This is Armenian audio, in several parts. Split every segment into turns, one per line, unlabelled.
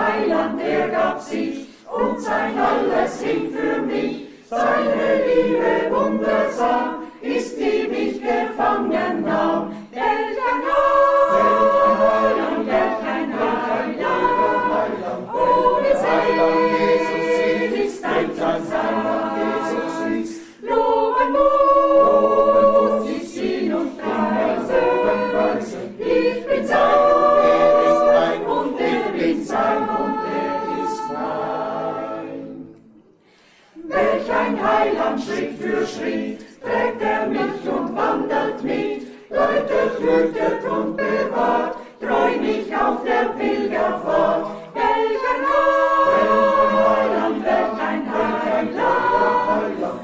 Heiland, er gab sich und sein Seine Liebe wundersam ist, die mich gefangen nahm. Welch ein Heiland, welch ein Heiland. Oh, wie selig ist ein Heiland, Jesus ist. Loben muss ich ihn und preisen. Ich bin sein und ist mein und bin sein und ist mein. Welch ein Heiland, Schritt für Schritt trägt mich und wandelt mit, läutet, hütet und bewahrt, treu mich auf der Pilgerfahrt. Welch ein Heiland, welch ein Heiland.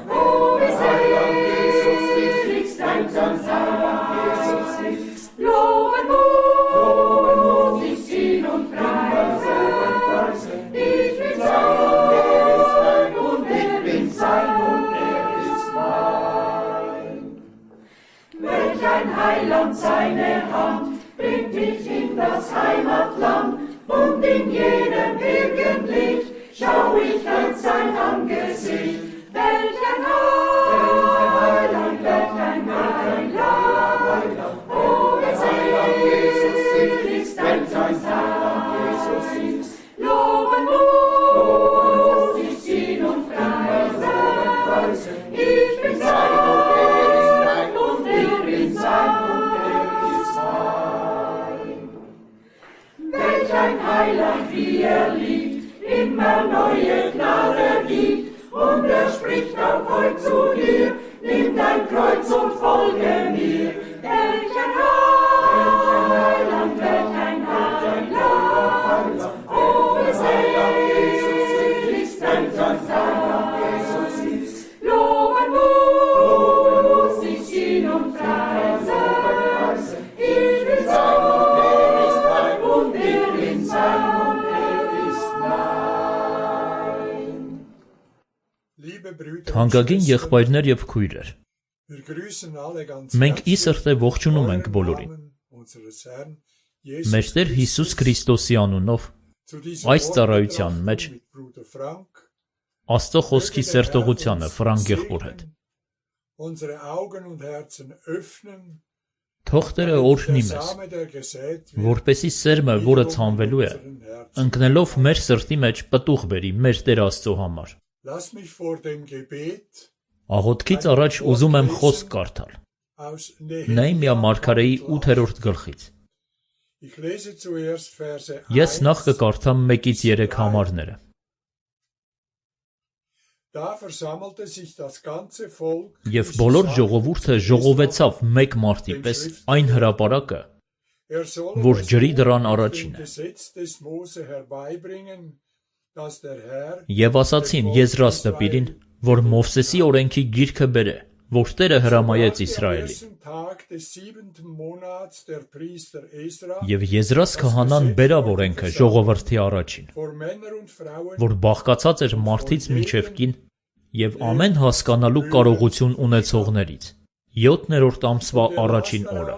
Oh, wie selig ist ein Heiland, Jesus ist. Loben muss ich ihn und preisen. Ich bin sein und ich bin sein und ist mein. Welch ein Heiland, seine Hand bringt mich in das Heimatland, und in jedem Birkenlicht schau ich an sein Angesicht. Welch ein Heiland, welch ein Heiland. Oh, wie selig ist ein Heiland, Jesus ist. Loben muss ich ihn und preisen. Ich bin sein und ich bin sein und ist mein. Welch ein Heiland, wie liegt, immer neue Gnade gibt, und spricht auch heut zu dir, nimm dein Kreuz und folge mir. Welch ein Heiland, welch ein Heiland. Oh, wie selig ist ein Heiland, Jesus ist. Loben muss ich ihn und preisen. Ich bin sein und ich bin sein und ist mein.
Թանկագին եղբայրներ եւ քույրեր, մենք ի սրտե ողջունում ենք բոլորին։ Մեր Տեր Հիսուս Քրիստոսի անունով այս ծառայության մեջ Աստծո խոսքի սերտողությանը Ֆրանկ եղբոր հետ։ Թող Տերը օրհնի մեզ, որպեսզի սերմը, որը ցանվելու է, ընկնելով մեր սրտի մեջ պտուղ բերի մեր Տեր Աստծո համար։ Աղոթքից առաջ ուզում եմ խոսք կարդալ Նեհեմիա մարգարեի 8-րդ գլխից։ Ես նախ կկարդամ 1-3 համարները։ Եվ բոլոր ժողովուրդը ժողովեցավ մեկ մարդի պես այն հրապարակը, որ ջրի դռան առաջին է։ Եվ ասացին Եզրას դպիրին, որ Մովսեսի օրենքի գիրքը բերե, որ Տերը հրամայեց Իսրայելին։ Եվ Եզրաս քահանան բերավ օրենքը ժողովրդի առաջին, որ բաղկացած էր մարդից մինչև կին և ամեն հասկանալու կարողություն ունեցողներից, 7-րդ ամսվա առաջին օրը։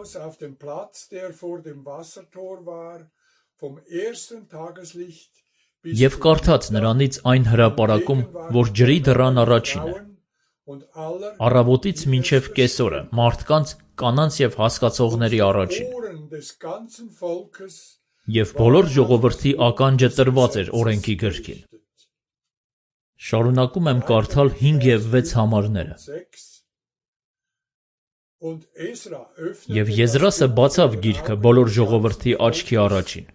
Եվ կարդաց նրանից այն հրապարակում, որ ջրի դռան առաջին է, առավոտից մինչև կեսօրը, մարդկանց, կանանց և հասկացողների առաջին։ Եվ բոլոր ժողովրդի ականջը տրված էր օրենքի գրքին։ Շարունակում եմ կարդալ 5 և 6 համարները։ Եվ Եզրասը բացավ գիրքը բոլոր ժողովրդի աչքի առաջին,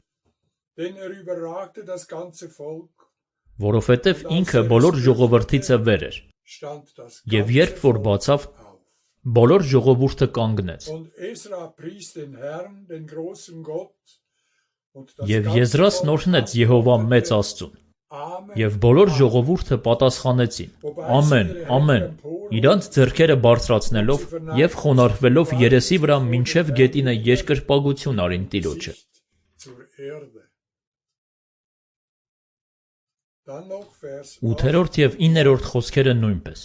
որովհետև ինքը բոլոր ժողովրդիցը վեր էր։ Եվ երբ որ բացավ, բոլոր ժողովուրդը կանգնեց։ Եվ Եզրասն օրհնեց Եհովա մեծ Աստծուն։ Եվ բոլոր ժողովուրդը պատասխանեցին. Ամեն, ամեն, իրանց ձեռքերը բարձրացնելով և խոնարհվելով երեսի վրա մինչև գետինը երկրպագություն արին Տիրոջը։ 8-րդ և 9-րդ խոսքերը նույնպես։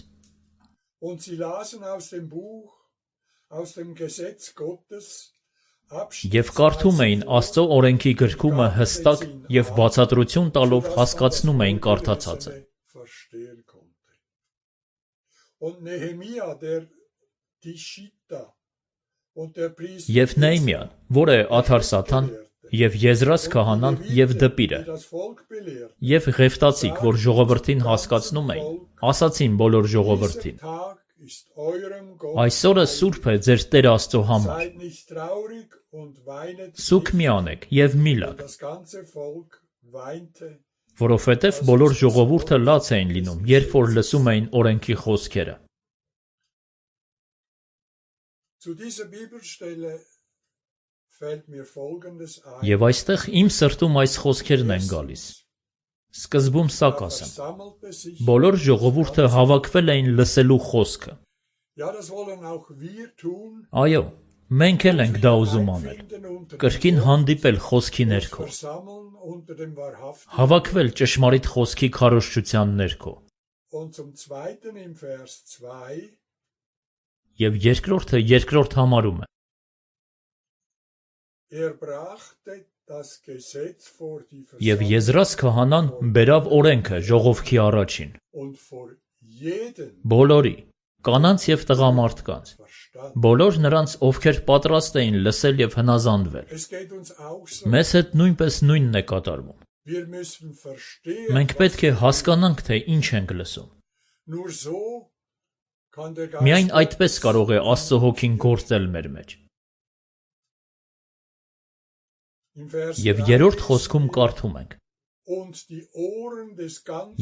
Եվ կարդում էին Աստծո օրենքի գրքումը հստակ և բացատրություն տալով հասկացնում էին կարդացածը։ Եվ Նեհեմիան, որ է Աթարսաթան, և Եզրաս քահանան և դպիրը, և Ղևտացիք, որ ժողովրդին հասկացնում էին, ասացին բոլոր ժողովրդին. այսօրը սուրբ է ձեր Տեր Աստծո համար, սուգ մի անեք և մի լաք, որովհետև բոլոր ժողովուրդը լաց էին լինում, երբ որ լսում էին օրենքի խոսքերը։ Եվ այստեղ իմ սրտում այս խոսքերն են գալիս։ Սկզբում սա կասեմ. բոլոր ժողովուրդը հավաքվել էին լսելու խոսքը։ Այո, մենք էլ ենք դա ուզում անել, կրկին հանդիպել խոսքի ներքո, հավաքվել ճշմարիտ խոսքի քարոզչության ներքո։ Եվ երկրորդը երկրորդ համարում է. Եվ Եզրաս քահանան բերավ օրենքը ժողովքի առաջին, բոլորի, կանանց և տղամարդկանց, բոլոր նրանց, ովքեր պատրաստ էին լսել և հնազանդվել։ Մեզ հետ նույնպես նույնն է կատարվում։ Մենք պետք է հասկանանք, թե ինչ ենք լսում։ Միայն այդպես կարող է Աստծո հոգին գործել մեր մեջ։ Եվ երրորդ խոսքում կարդում ենք.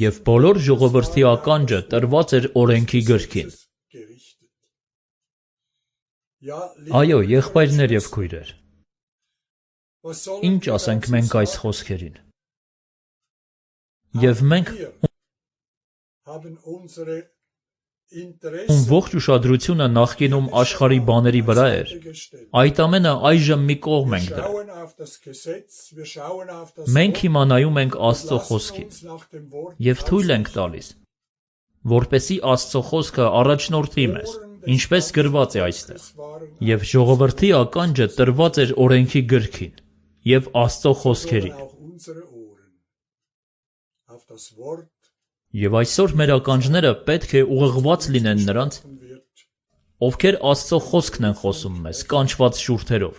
Եվ բոլոր ժողովրդի ականջը տրված էր օրենքի գրքին։ Այո, եղբայրներ և քույրեր, ինչ ասենք մենք այս խոսքերին։ Եվ մենք, ում ողջ ուշադրությունը նախկինում աշխարհի բաների վրա էր, այդ ամենը այժմ մի կողմ ենք դրել։ Մենք հիմա նայում ենք Աստծո խոսքին և թույլ ենք տալիս, որպեսզի Աստծո խոսքը առաջնորդի մեզ, ինչպես գրված է այստեղ, և ժողովրդի ականջը տրված էր օրենքի գրքին և Աստծո խոսքերին։ Եվ այսօր մեր ականջները պետք է ուղղված լինեն նրանց, ովքեր Աստծո խոսքն են խոսում մեզ, կանչված շուրթերով,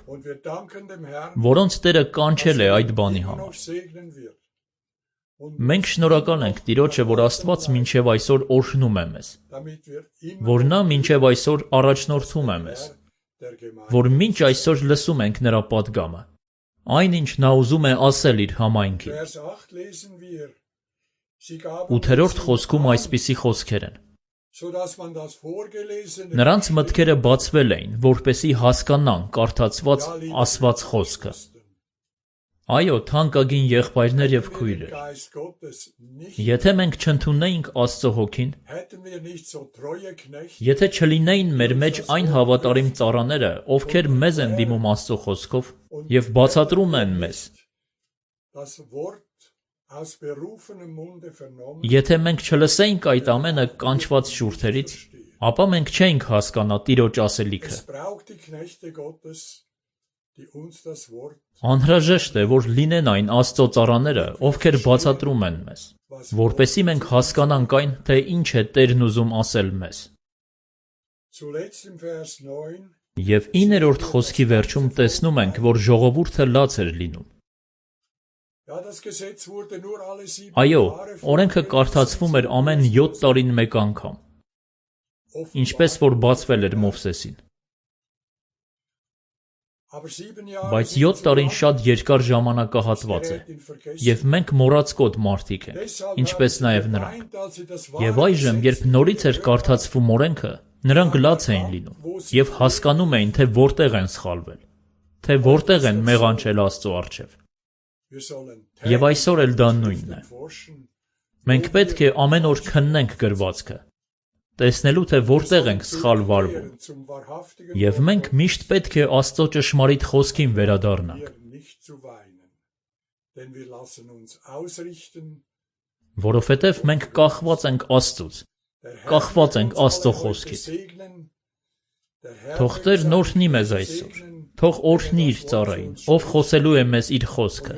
որոնց Տերը կանչել է այդ բանի համար։ Մենք շնորհակալ ենք Տիրոջը, որ Աստված մինչև այսօր օրհնում է մեզ, որ Նա մինչև այսօր առաջնորդում է մեզ, որ մինչ այսօր լսում ենք Նրա պատգամը, այն ինչ Նա ուզում է ասել Իր համայնքին։ 8-րդ խոսքում այսպիսի խոսքեր են. Նրանց մտքերը բացվել էին, որպեսզի հասկանան կարդացված ասված խոսքը։ Այո, թանկագին եղբայրներ և քույրեր, եթե մենք չընդունեինք Աստծո հոգին, եթե չլինեին մեր մեջ այն հավատարիմ ծառաները, ովքեր մեզ են դիմում Աստծո խոսքով և բացատրում են մեզ, եթե մենք չլսեինք այդ ամենը կանչված շուրթերից, ապա մենք չէինք հասկանա Տիրոջ ասելիքը։ Անհրաժեշտ է, որ լինեն այն Աստծո ծառաները, ովքեր բացատրում են մեզ, որպեսզի մենք հասկանանք այն, թե ինչ է Տերն ուզում ասել մեզ։ Եվ 9-րդ խոսքի վերջում տեսնում ենք, որ ժողովուրդը լաց էր լինում։ Այո, օրենքը կարդացվում էր ամեն 7 տարին մեկ անգամ, ինչպես որ բացվել էր Մովսեսին։ Բայց 7 տարին շատ երկար ժամանակահատված է, և մենք մոռացկոտ մարդիկ ենք, ինչպես նաև նրանք։ Եվ այժմ, երբ նորից էր կարդացվում օրենքը, նրանք լաց էին լինում և հասկանում էին, թե որտեղ են սխալվել, թե որտեղ են մեղանչել Աստծո առջև։ Եվ այսօր էլ դա նույնն է։ Մենք պետք է ամեն օր քննենք գրվածքը, տեսնելու, թե որտեղ ենք սխալ վարվում, և մենք միշտ պետք է Աստծո ճշմարիտ խոսքին վերադառնանք, որովհետև մենք կախված ենք Աստծուց, կախված ենք Աստծո խոսքից։ Թող Տերն օրհնի մեզ այսօր, թող օրհնի Իր ծառային, ով խոսելու է մեզ Իր խոսքը,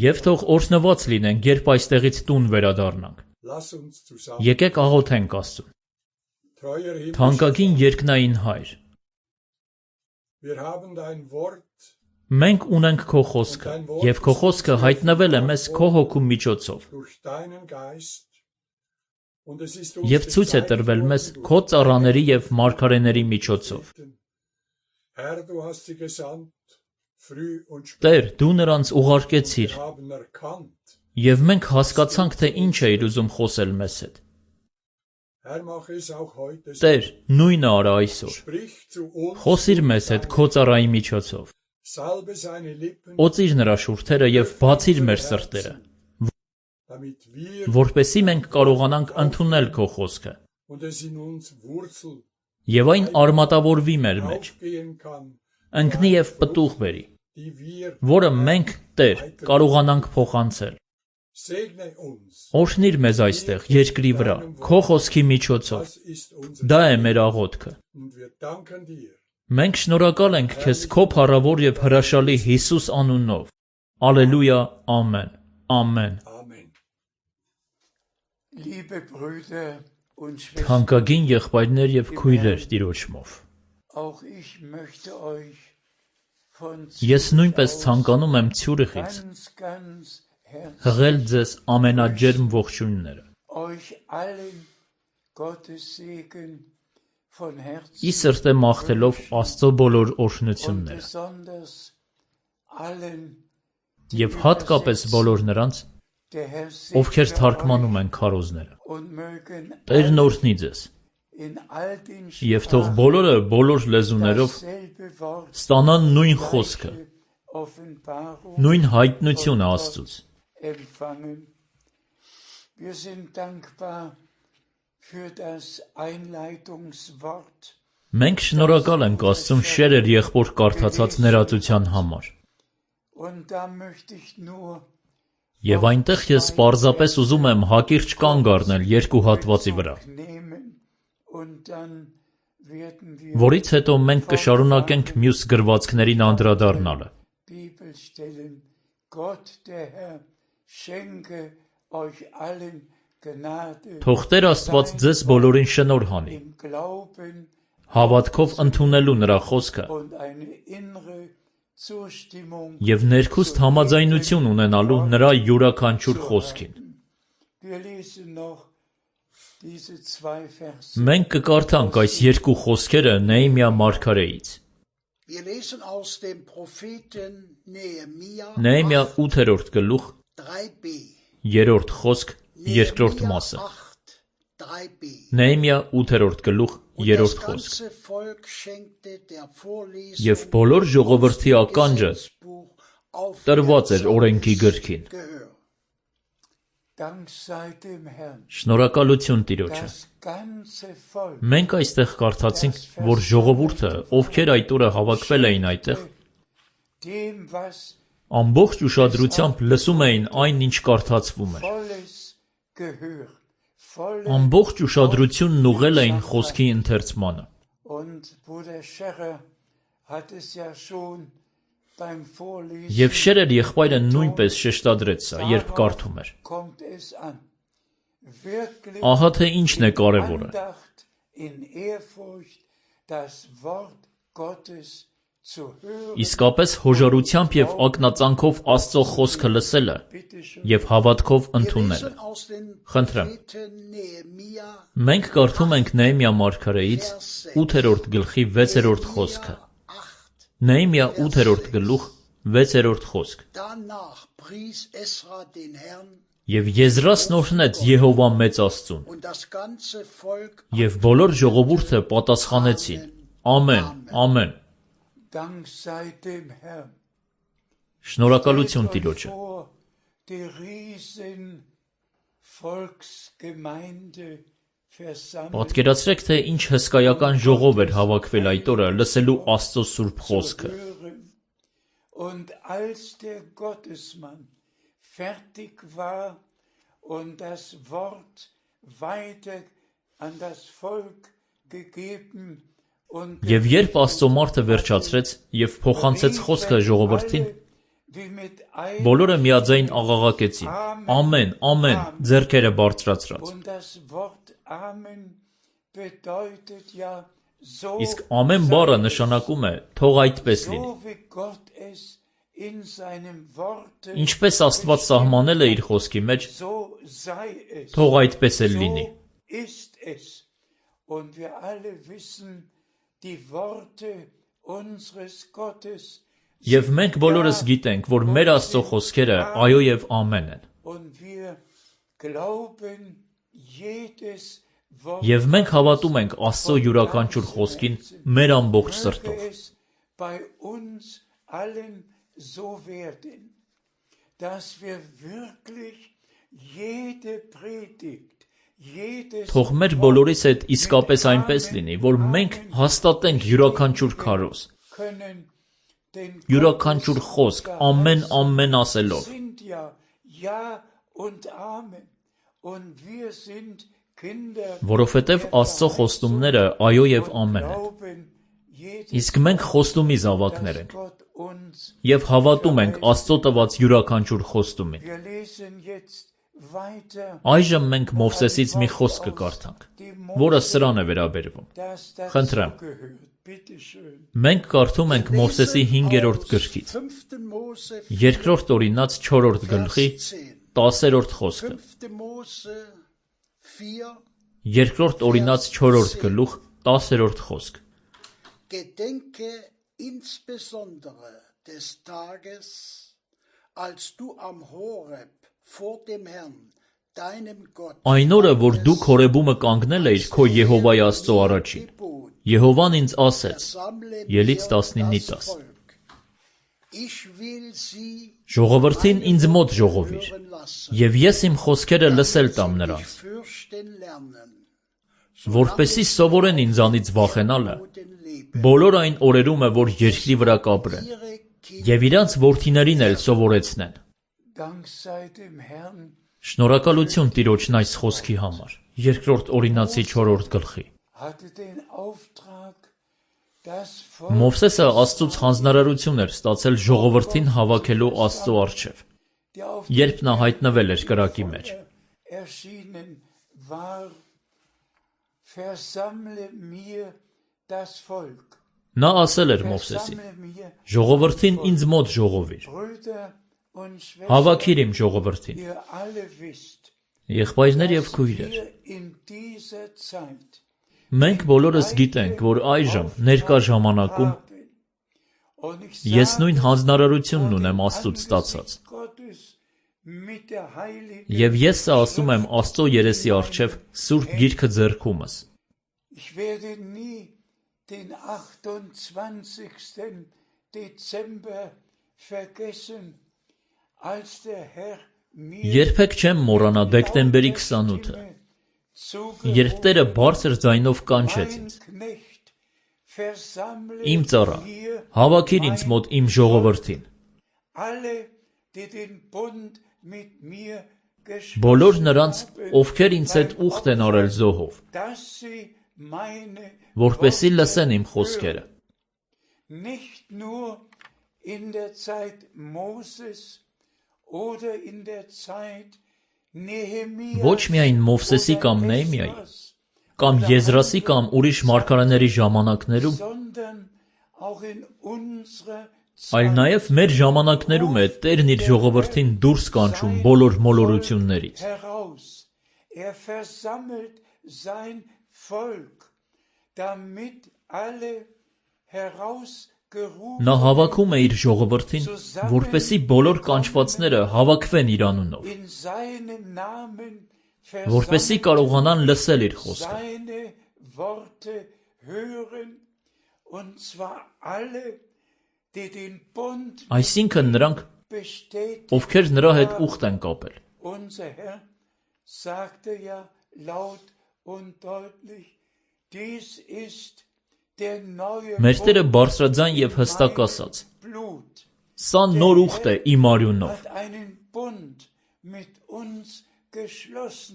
և թող օրհնված լինենք, երբ այստեղից տուն վերադառնանք, Եկեք աղոթենք Աստծուն։ Թանկագին երկնային Հայր, մենք ունենք քո խոսքը, և քո խոսքը հայտնվել է մեզ քո հոգու միջոցով, և ցույց է տրվել մեզ քո ծառաների և մարգարեների միջոցով։ Տեր, դու նրանց ուղարկեցիր, և մենք հասկացանք, թե ինչ էիր ուզում խոսել մեզ հետ։ Տեր, նույնը արա այսօր։ Խոսիր մեզ հետ քո ծառայի միջոցով։ Օծիր նրա շուրթերը և բացիր մեր սրտերը, որպեսզի մենք կարողանանք ընդունել քո խոսքը, և այն արմատավորվի մեր մեջ, ընկնի և պտուղ բերի, որը մենք, Տեր, կարողանանք փոխանցել։ Օրհնիր մեզ այստեղ, երկրի վրա, քո խոսքի միջոցով։ Դա է մեր աղոթքը։ Մենք շնորհակալ ենք քեզ քո փառավոր և հրաշալի Հիսուս անունով։ Ալելույա, ամեն, ամեն։ Թանկագին եղբայրներ և քույրեր Տիրոջմով, ես նույնպես ցանկանում եմ Ցյուրիխից հղել ձեզ ամենաջերմ ողջույնները։ Ի սրտե մաղթելով Աստծո բոլոր օրհնությունները և հատկապես բոլոր նրանց, ովքեր թարգմանում են քարոզները։ Տերն օրհնի ձեզ, և թող բոլորը բոլոր լեզուներով ստանան նույն խոսքը, նույն հայտնությունը Աստծուց։ Մենք շնորհակալ ենք Աստծուն շերեր եղբոր կարդացած ներածության համար։ Եվ այնտեղ ես պարզապես ուզում եմ հակիրճ կանգ առնել երկու հատվածի վրա, որից հետո մենք կշարունակենք մյուս գրվածքներին անդրադառնալը։ Թող Տեր Աստված ձեզ բոլորին շնորհ անի, հավատքով ընդունելու նրա խոսքը և ներքուստ համաձայնություն ունենալու նրա յուրաքանչյուր խոսքին։ Մենք կկարդանք այս երկու խոսքերը Նեհեմիա մարգարեից։ Նեհեմիա 8-րդ գլուխ, 3-րդ խոսք, 2-րդ մասը։ Նեհեմիա 8-րդ գլուխ, 3-րդ խոսք։ Եվ բոլոր ժողովրդի ականջը տրված էր օրենքի գրքին։ Շնորհակալություն Տիրոջը։ Մենք այստեղ կարդացինք, որ ժողովուրդը, ովքեր այդ օրը հավաքվել էին այդտեղ, ամբողջ ուշադրությամբ լսում էին այն, ինչ կարդացվում էր։ Ամբողջ ուշադրությունն ուղղել էին խոսքի ընթերցմանը։ Եվ Շերեր եղբայրը նույնպես շեշտադրեց սա, երբ կարդում էր։ Ահա թե ինչն է կարևորը։ Իսկապես հոժարությամբ և ակնածանքով Աստծո խոսքը լսելը և հավատքով ընդունելը։ Խնդրեմ։ Մենք կարդում ենք Նեհեմիա մարգարեից 8-րդ գլխի 6-րդ խոսքը։ Նեհեմիա 8-րդ գլուխ 6-րդ խոսք։ Եվ Եզրասն օրհնեց Եհովա մեծ Աստծուն։ Եվ բոլոր ժողովուրդը պատասխանեցին. Ամեն, ամեն։ Շնորհակալություն Տիրոջը։ Պատկերացրեք, թե ինչ հսկայական ժողով էր հավաքվել այդ օրը լսելու Աստծո սուրբ խոսքը։ Եվ երբ Աստծո մարդը վերջացրեց և փոխանցեց խոսքը ժողովրդին, Բոլորը միաձայն աղաղակեցին. Ամեն, ամեն, ձեռքերը բարձրացրած։ Իսկ ամեն բառը նշանակում է թող այդպես լինի։ Ինչպես Աստված սահմանել է իր խոսքի մեջ, թող այդպես էլ լինի։ Եվ մենք բոլորս գիտենք, որ մեր Աստծո խոսքերը այո եւ ամեն են։ Եվ մենք հավատում ենք Աստծո յուրաքանչյուր խոսքին մեր ամբողջ սրտով։ Թող մեր բոլորիս հետ իսկապես այնպես լինի, որ մենք հաստատենք յուրաքանչյուր քարոզ, յուրաքանչյուր խոսք, ամեն ասելով։ Որովհետև Աստծո խոստումները այո եւ ամեն են։ Իսկ մենք խոստումի զավակներ ենք եւ հավատում ենք Աստծո տված յուրաքանչյուր խոստումին։ Այժմ մենք Մովսեսից մի խոսք կկարդանք, որը սրան է վերաբերվում։ Խնդրեմ։ Մենք կարդում ենք Մովսեսի 5-րդ գրքից, 2-րդ Օրինաց 4-րդ գլխի 10-րդ խոսքը։ 2-րդ Օրինաց 4-րդ գլուխ 10-րդ խոսք։
Gedenke insbesondere des Tages, als du am Horeb vor dem Herrn, deinem Gott,
Այն օրը, որ դու Հորեբումը կանգնել էիր քո Եհովայի Աստծո առաջին, Եհովան ինձ ասեց, Ելից 19:10. Ժողովրդին ինձ մոտ ժողովիր, եւ ես իմ խոսքերը լսել տամ նրանց, որպեսզի սովորեն ինձանից վախենալը, բոլոր այն օրերում է, որ երկրի վրա կապրեն, եւ իրանց որդիներին էլ սովորեցնեն։ Շնորհակալություն Տիրոջն այս խոսքի համար, 2-րդ Օրինացի 4-րդ գլխի։ Մովսեսը Աստծուց հանձնարարություն էր ստացել ժողովրդին հավաքելու Աստծո առջև, երբ նա հայտնվել էր կրակի մեջ։ Նա ասել էր Մովսեսին. ժողովրդին ինձ մոտ ժողովիր, հավաքիր իմ ժողովրդին։ Եղբայրներ եւ քույրեր, մենք բոլորս գիտենք, որ այժմ ներկա ժամանակում ես նույն հանձնարարությունն ունեմ Աստծուց ստացած։ Եվ ես սա ասում եմ Աստծո երեսի առջև Սուրբ Գիրքը ձեռքումս։
Den 28. Dezember vergessen, als der Herr
Երբեք չեմ մոռանա դեկտեմբերի 28-ը, երբ Տերը բարձր ձայնով կանչեց ինձ. Իմ ծառա, հավաքիր ինձ մոտ իմ ժողովրդին։ Բոլոր նրանց, ովքեր ինձ հետ ուխտ են արել զոհով, որպեսզի լսեն իմ խոսքերը։ Ոչ միայն Մովսեսի կամ Նեհեմիայի, կամ Եզրասի կամ ուրիշ մարգարեների ժամանակներում, այլ նաև մեր ժամանակներում է Տերն իր ժողովրդին դուրս կանչում բոլոր մոլորություններից։ Նա հավաքում է իր ժողովրդին, որպեսզի բոլոր կանչվածները հավաքվեն իր անունով, որպեսզի կարողանան լսել իր խոսքը։ Այսինքն նրանք, ովքեր նրա հետ ուխտ են կապել։ Մեր Տերը բարձրաձայն եւ հստակ ասաց. Սա նոր ուխտ է իմ արյունով։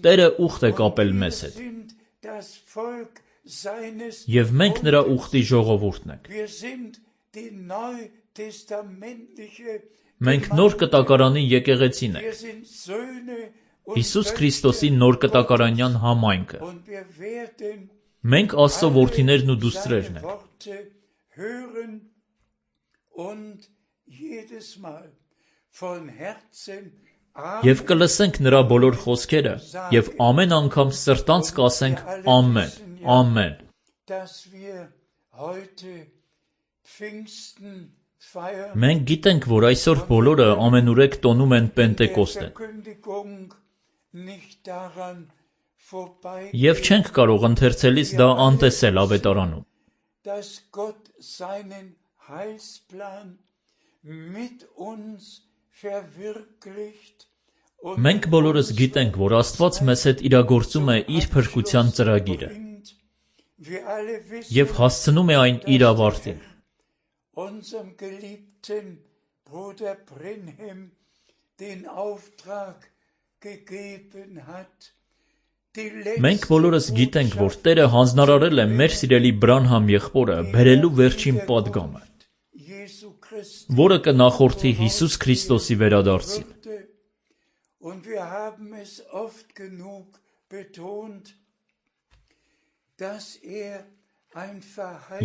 Տերը ուխտ է կապել մեզ հետ։ Եվ մենք նրա ուխտի ժողովուրդն ենք։ Մենք նոր կտակարանի եկեղեցին ենք, Հիսուս Քրիստոսի նոր կտակարանյան համայնքը։ Մենք Աստծո որդիներն ու դուստրերն ենք։ Եվ կլսենք նրա բոլոր խոսքերը և ամեն անգամ սրտանց կասենք ամեն, ամեն։ Մենք գիտենք, որ այսօր բոլորը ամենուրեք տոնում են Պենտեկոստեն։ Եվ չենք կարող ընթերցելիս դա անտեսել ավետարանում։ Մենք բոլորս գիտենք, որ Աստված մեզ հետ իրագործում է իր փրկության ծրագիրը և հասցնում է այն իր ավարտին։ Մենք բոլորս գիտենք, որ Տերը հանձնարարել է մեր սիրելի Բրանհամ եղբորը բերելու վերջին պատգամը, որը կնախորդի Հիսուս Քրիստոսի վերադարձին։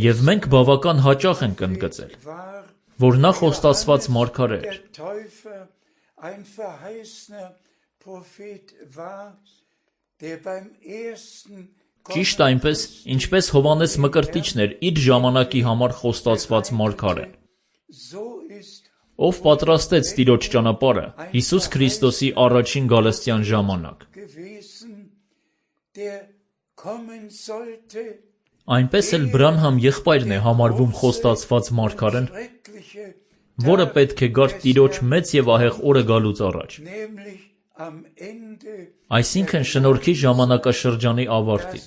Եվ մենք բավական հաճախ ենք ընդգծել, որ նա խոստացված մարգարե էր։ Ճիշտ այնպես, ինչպես Հովհաննես Մկրտիչն էր իր ժամանակի համար խոստացված մարգարեն, ով պատրաստեց Տիրոջ ճանապարհը Հիսուս Քրիստոսի առաջին գալստյան ժամանակ։ Այնպես էլ Բրանհամ եղբայրն է համարվում խոստացված մարգարեն, որը պետք է գար Տիրոջ մեծ և ահեղ օրը գալուց առաջ, այսինքն շնորհքի ժամանակաշրջանի ավարտին։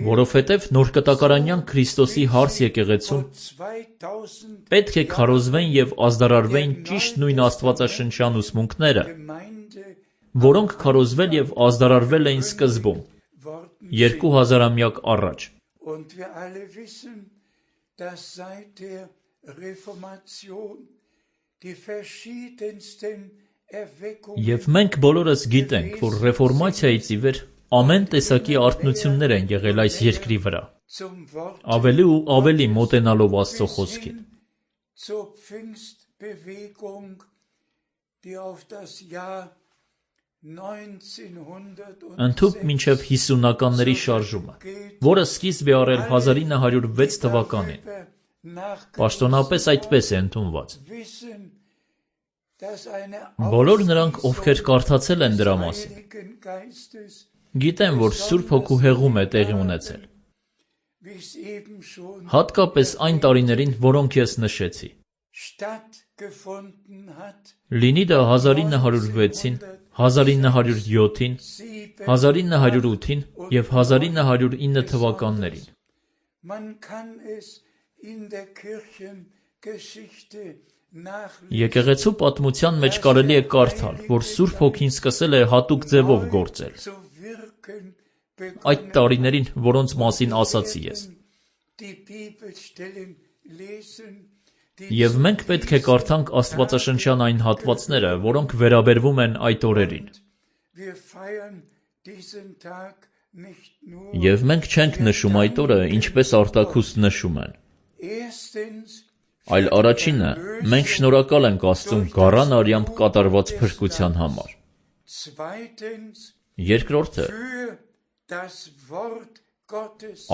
Որովհետև նոր կտակարանյան Քրիստոսի հարս եկեղեցում պետք է քարոզվեն և ազդարարվեն ճիշտ նույն աստվածաշնչյան ուսմունքները, որոնք քարոզվել և ազդարարվել էին սկզբում, 2000-ամյակ առաջ։ Եվ մենք բոլորս գիտենք, որ ռեֆորմացիայից ի վեր ամեն տեսակի արթնություններ են եղել այս երկրի վրա, ավելի ու ավելի մոտենալով Աստծո խոսքին։ Ընդհուպ մինչև 50-ականների շարժումը, որը սկիզբ է առել 1906 թվականին, պաշտոնապես այդպես է ընդունված։ Բոլոր նրանք, ովքեր կարդացել են դրա մասին, գիտեն, որ Սուրբ Հոգու հեղում է տեղի ունեցել, հատկապես այն տարիներին, որոնք ես նշեցի։ Լինի դա 1906-ին, 1907-ին, 1908-ին և 1909 թվականներին։ Եկեղեցու պատմության մեջ կարելի է կարդալ, որ Սուրբ Հոգին սկսել է հատուկ ձևով գործել այդ տարիներին, որոնց մասին ասացի ես։ Եվ մենք պետք է կարդանք աստվածաշնչյան այն հատվածները, որոնք վերաբերվում են այդ օրերին։ Եվ մենք չենք նշում այդ օրը, ինչպես արտաքուստ նշում են։ Այլ առաջինը, մենք շնորհակալ ենք Աստծուն գառան արյամբ կատարված փրկության համար։ Երկրորդը,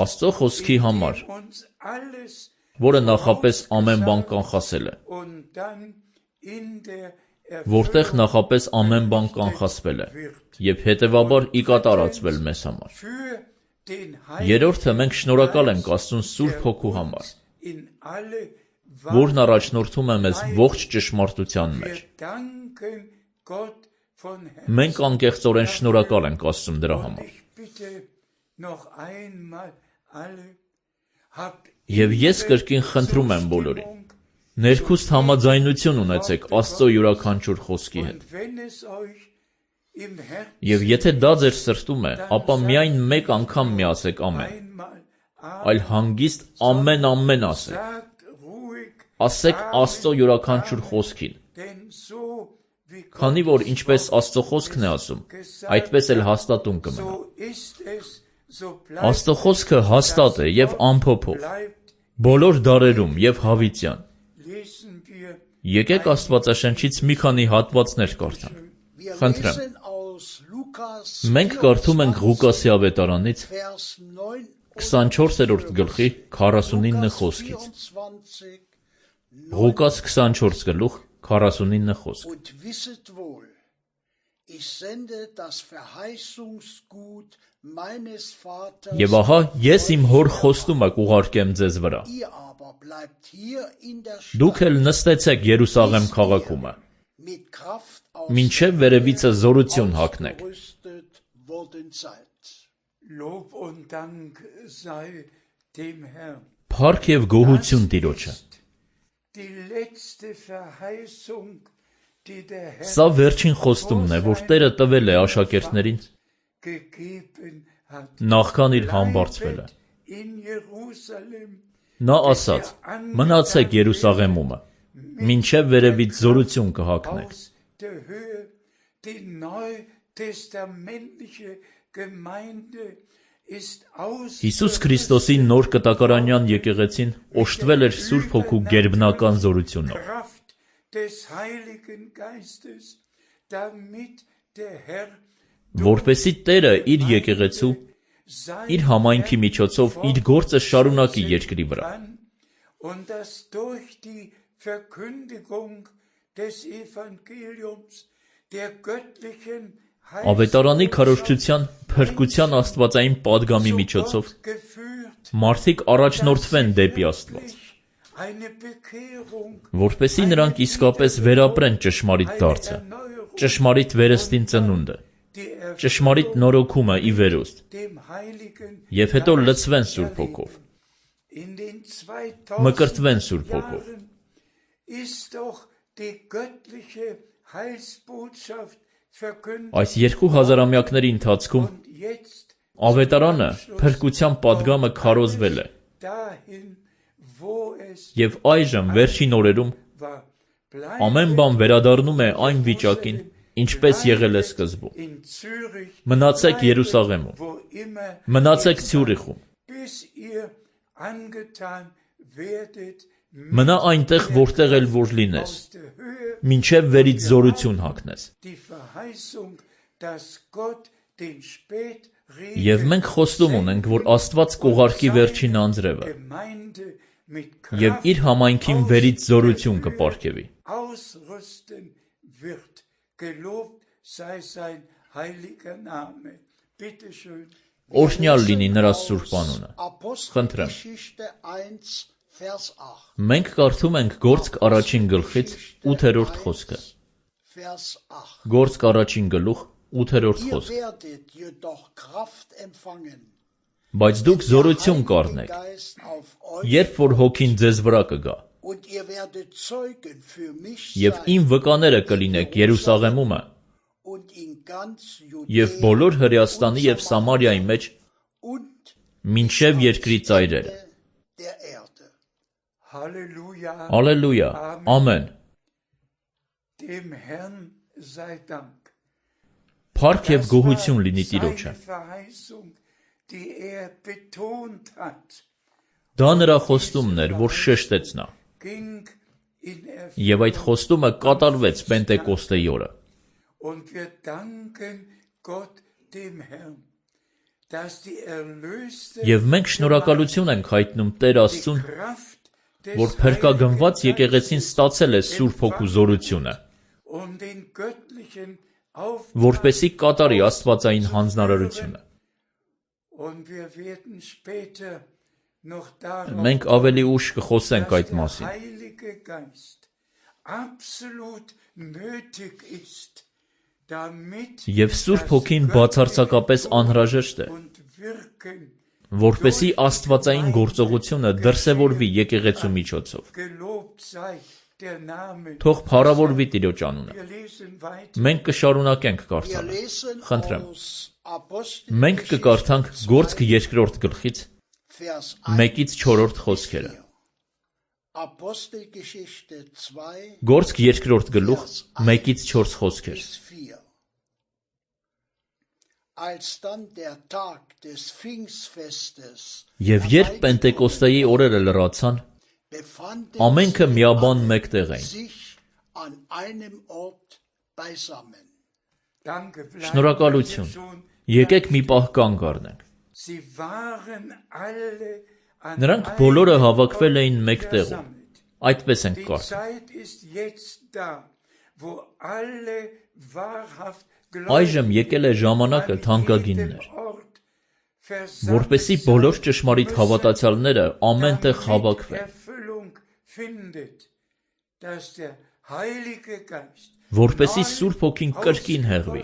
Աստծո խոսքի համար, որը նախապես ամեն բան կանխասել է, որտեղ նախապես ամեն բան կանխասվել է և հետևաբար ի կատարածվել մեզ համար։ Երրորդը, մենք շնորհակալ ենք Աստծուն Սուրբ Հոգու համար, որն առաջնորդում է մեզ ողջ ճշմարտության մեջ։ Մենք անկեղծորեն շնորհակալ ենք Աստծուն դրա համար։ Եվ ես կրկին խնդրում եմ բոլորին, ներքուստ համաձայնություն ունեցեք Աստծո յուրաքանչյուր խոսքի հետ։ Եվ եթե դա ձեր սրտում է, ապա միայն մեկ անգամ մի ասեք ամեն, այլ հանգիստ ամեն ասեք, ասեք Աստծո յուրաքանչյուր խոսքին, քանի որ ինչպես Աստծո խոսքն է ասում, այդպես էլ հաստատուն կմնա։ Աստծո խոսքը հաստատ է և անփոփոխ, բոլոր դարերում և հավիտյան։ Եկեք Աստվածաշնչից մի քանի հատվածներ կարդանք։ Խնդրեմ։ Մենք կարդում ենք Ղուկասի ավետարանից 24-րդ գլխի 49 խոսքից։ Ղուկաս 24 գլուխ 49 խոսք։ Եվ ահա ես իմ հոր խոստումը կուղարկեմ ձեզ վրա։ Դուք էլ նստեցեք Երուսաղեմ քաղաքումը, մինչև վերևիցը զորություն հագնեք։ Փառք և գոհություն Տիրոջը։ Սա վերջին խոստումն է, որ Տերը տվել է աշակերտներին նախքան իր համբարձվելը։ Նա ասաց. մնացեք Երուսաղեմումը, մինչև վերևից զորություն կհագնեք։ Հիսուս Քրիստոսի նոր կտակարանյան եկեղեցին օժտվել էր Սուրբ Հոգու գերբնական զորությունով, որպեսզի Տերը իր եկեղեցու, իր համայնքի միջոցով իր գործը շարունակի երկրի վրա։ Ավետարանի քարոզչության փրկության աստվածային պատգամի միջոցով մարդիկ առաջնորդվեն դեպի Աստված, որպեսզի նրանք իսկապես վերապրեն ճշմարիտ դարձը, ճշմարիտ վերստին ծնունդը, ճշմարիտ նորոգումը ի վերուստ, և հետո լցվեն Սուրբ Հոգով, մկրտվեն Սուրբ Հոգով։ Այս 2000-ամյակների ընթացքում ավետարանը փրկության պատգամը քարոզվել է, և այժմ վերջին օրերում ամեն բան վերադառնում է այն վիճակին, ինչպես եղել է սկզբում։ Մնացեք Երուսաղեմում, մնացեք Ցյուրիխում, մնա այնտեղ, որտեղ էլ որ լինես, մինչև վերից զորություն հագնես։ Եվ մենք խոստում ունենք, որ Աստված կուղարկի վերջին անձրևը և իր համայնքին վերից զորություն կպարգևի։ Օրհնյալ լինի նրա սուրբ անունը։ Խնդրեմ։ Մենք կարդում ենք Գործք առաջին գլխից 8-րդ խոսքը։ Գործք առաջին գլուխ 8-րդ խոսք։ Բայց դուք զորություն կառնեք, երբ որ Հոգին ձեզ վրա կգա, և իմ վկաները կլինեք Երուսաղեմումը և բոլոր Հրեաստանի և Սամարիայի մեջ մինչև երկրի ծայրերը։ Հալելույա, ամեն։ Փառք և գոհություն լինի Տիրոջը։ Դա նրա խոստումն էր, որ շեշտեց նա, և այդ խոստումը կատարվեց Պենտեկոստեի օրը։ Եվ մենք շնորհակալություն ենք հայտնում Տեր Աստծուն, որ փրկագնված եկեղեցին ստացել է Սուրբ Հոգու զորությունը, որպեսզի կատարի աստվածային հանձնարարությունը։ Մենք ավելի ուշ կխոսենք այդ մասին։ Եվ Սուրբ Հոգին բացարձակապես անհրաժեշտ է, որպեսզի աստվածային գործողությունը դրսևորվի եկեղեցու միջոցով։ Թող փառավորվի Տիրոջ անունը։ Մենք կշարունակենք կարդալ։ Խնդրեմ։ Մենք կկարդանք Գործք 2-րդ գլխից 1-ից 4-րդ խոսքերը։ Գործք 2-րդ գլուխ 1-ից 4 խոսքեր։ Եվ երբ Պենտեկոստեի օրերը լրացան, ամենքը միաբան մեկտեղ էին։ Շնորհակալություն։ Եկեք մի պահ կանգ առնենք։ Նրանք բոլորը հավաքվել էին մեկտեղում։ Այդպես ենք կարծում։ Այժմ եկել է ժամանակը թանկագիններ, որպեսզի բոլոր ճշմարիտ հավատացյալները ամեն տեղ հավաքվեն, որպեսզի Սուրբ Հոգին կրկին հեղվի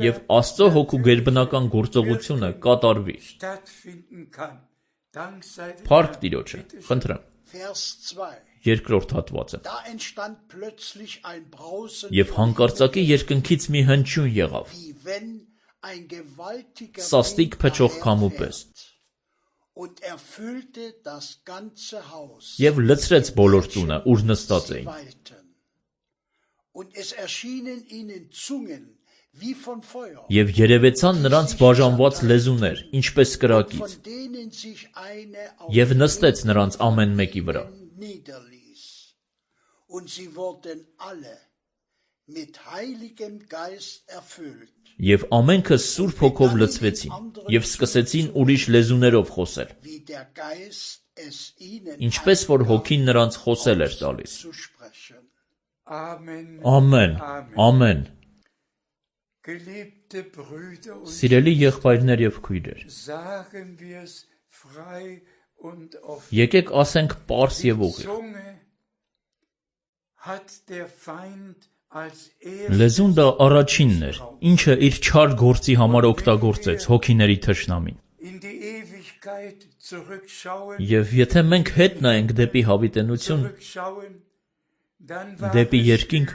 և Աստծո Հոգու գերբնական գործողությունը կատարվի։ Փառք Տիրոջը, խնդրեմ։ Երկրորդ հատվածը։ Եվ հանկարծակի երկնքից մի հնչյուն եղավ, սաստիկ փչող քամու պես, և լցրեց բոլոր տունը, ուր նստած էին։ Եվ երևեցան նրանց բաժանված լեզուներ, ինչպես կրակից, և նստեց նրանց ամեն մեկի վրա։ Եվ ամենքը Սուրբ Հոգով լցվեցին, և սկսեցին ուրիշ լեզուներով խոսել, ինչպես որ Հոգին նրանց խոսել էր տալիս։ Ամեն, ամեն։ Սիրելի եղբայրներ և քույրեր, եկեք ասենք պարզ և ուղիղ։ Լեզուն դա առաջինն էր, ինչը իր չար գործի համար օգտագործեց հոգիների թշնամին։ Եվ եթե մենք հետ նայենք դեպի հավիտենություն, դեպի երկինք,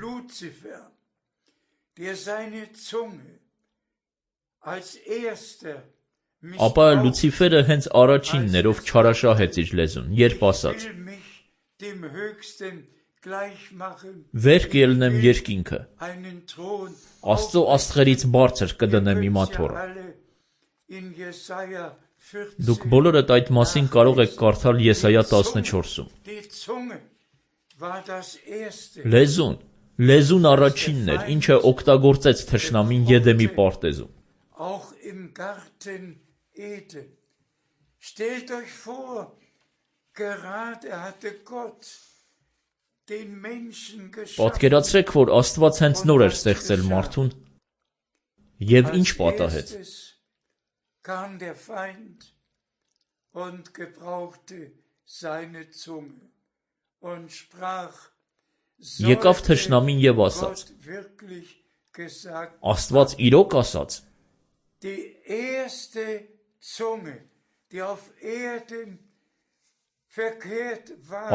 ապա Լուցիֆերը հենց առաջինն էր, ով չարաշահեց իր լեզուն, երբ ասաց. «Վեր կելնեմ երկինքը, Աստծո աստղերից բարձր կդնեմ իմ աթոռը»։ Դուք բոլորդ այդ մասին կարող եք կարդալ Եսայա 14-ում։ Լեզուն առաջինն էր, ինչը օգտագործեց թշնամին Եդեմի պարտեզում։ Պատկերացրեք, որ Աստված հենց նոր էր ստեղծել մարդուն, և ինչ պատահեց։ Եկավ թշնամին և ասաց. Աստված իրոք ասաց.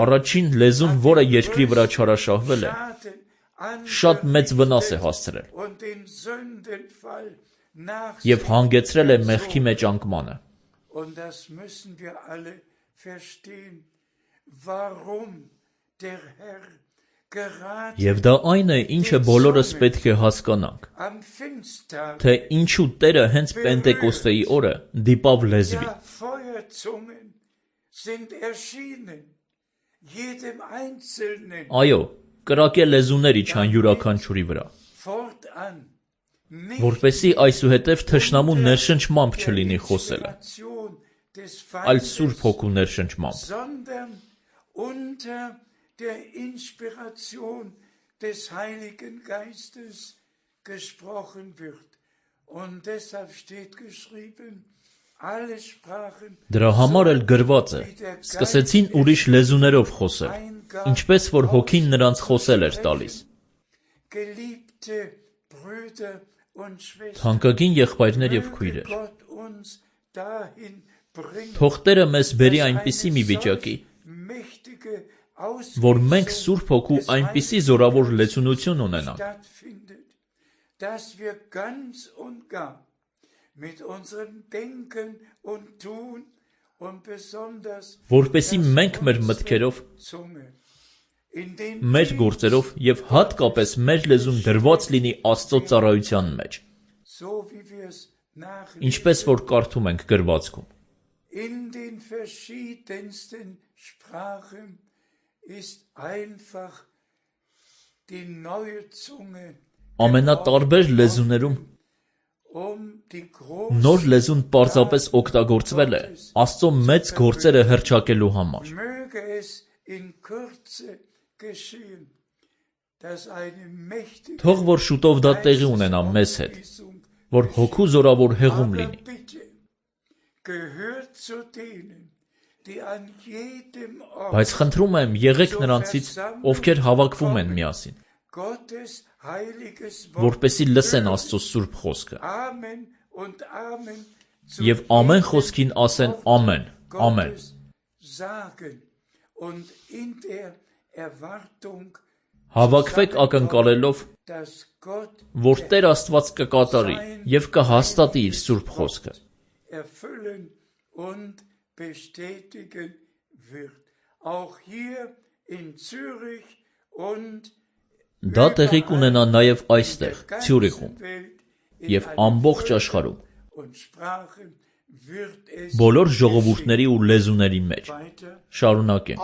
Առաջին լեզուն, որը երկրի վրա չարաշահվել է, շատ մեծ վնաս է հասցրել և հանգեցրել է մեղքի մեջ անկմանը։ Եվ դա այն է, ինչը բոլորս պետք է հասկանանք, թե ինչու Տերը հենց Պենտեկոստեի օրը դիպավ լեզվի։ Այո, կրակե լեզուներ իջան յուրաքանչյուրի վրա, որպեսզի այսուհետև թշնամու ներշնչմամբ չլինի խոսելը, այլ Սուրբ Հոգու ներշնչմամբ։ Դրա համար էլ գրված է. սկսեցին ուրիշ լեզուներով խոսել, ինչպես որ Հոգին նրանց խոսել էր տալիս։ Թանկագին եղբայրներ և քույրեր, թող Տերը մեզ բերի այնպիսի մի վիճակի, որ մենք Սուրբ Հոգու այնպիսի զորավոր լեցունություն ունենանք,
dass wir ganz und gar mit unserem Denken und Tun und besonders
որպեսզի մենք մեր մտքերով, մեր գործերով և հատկապես մեր լեզուն դրված լինի Աստծո ծառայության մեջ, ինչպես որ կարդում ենք գրվածքում.
In den verschiedensten Sprachen ist einfach die neue Zunge
ամենատարբեր լեզուներում նոր լեզուն պարզապես օգտագործվել է Աստծո մեծ գործերը հռչակելու համար։ Թող որ շուտով դա տեղի ունենա մեզ հետ, որ հոգու զորավոր հեղում լինի։ Բայց խնդրում եմ, եղեք նրանցից, ովքեր հավաքվում են միասին, որպեսզի լսեն Աստծո սուրբ խոսքը, և ամեն խոսքին ասեն ամեն, ամեն։ Հավաքվեք ակնկալելով, որ Տեր Աստված կկատարի և կհաստատի իր սուրբ խոսքը։ Դա տեղի կունենա նաև այստեղ, Ցյուրիխում, և ամբողջ աշխարհում, բոլոր ժողովուրդների ու լեզուների մեջ։ Շարունակենք։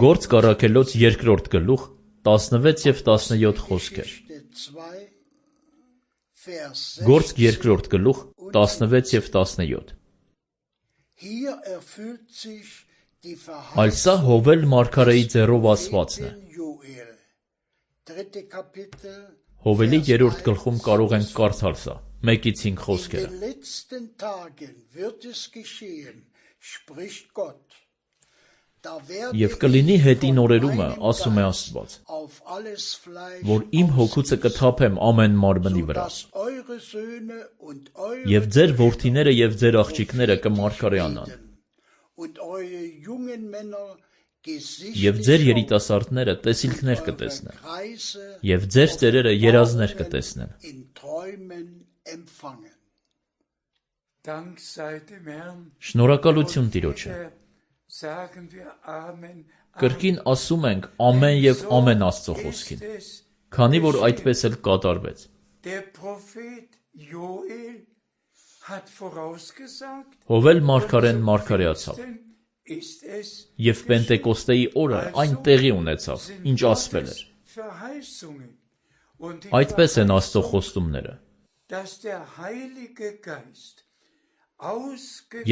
Գործ Առաքելոց 2-րդ գլուխ 16 և 17 խոսքեր։ Գործ 2-րդ գլուխ 16 և 17։ Այլ սա Հովել մարգարեի ձեռով ասվածն է։ Հովելի 3-րդ գլխում կարող ենք կարդալ սա, 1-5 խոսքերը։ Եվ կլինի հետին օրերումը, ասում է Աստված, որ իմ հոգուցը կթափեմ ամեն մարմնի վրա, և ձեր որդիները և ձեր աղջիկները կմարգարեանան, և ձեր երիտասարդները տեսիլքներ կտեսնեն, և ձեր ծերերը երազներ կտեսնեն։ Շնորհակալություն Տիրոջը։ Կրկին ասում ենք ամեն և ամեն Աստծո խոսքին, քանի որ այդպես էլ կատարվեց։ Հովել մարգարեն մարգարեացավ, և Պենտեկոստեի օրը այն տեղի ունեցավ, ինչ ասվել էր։ Այդպես են Աստծո խոստումները։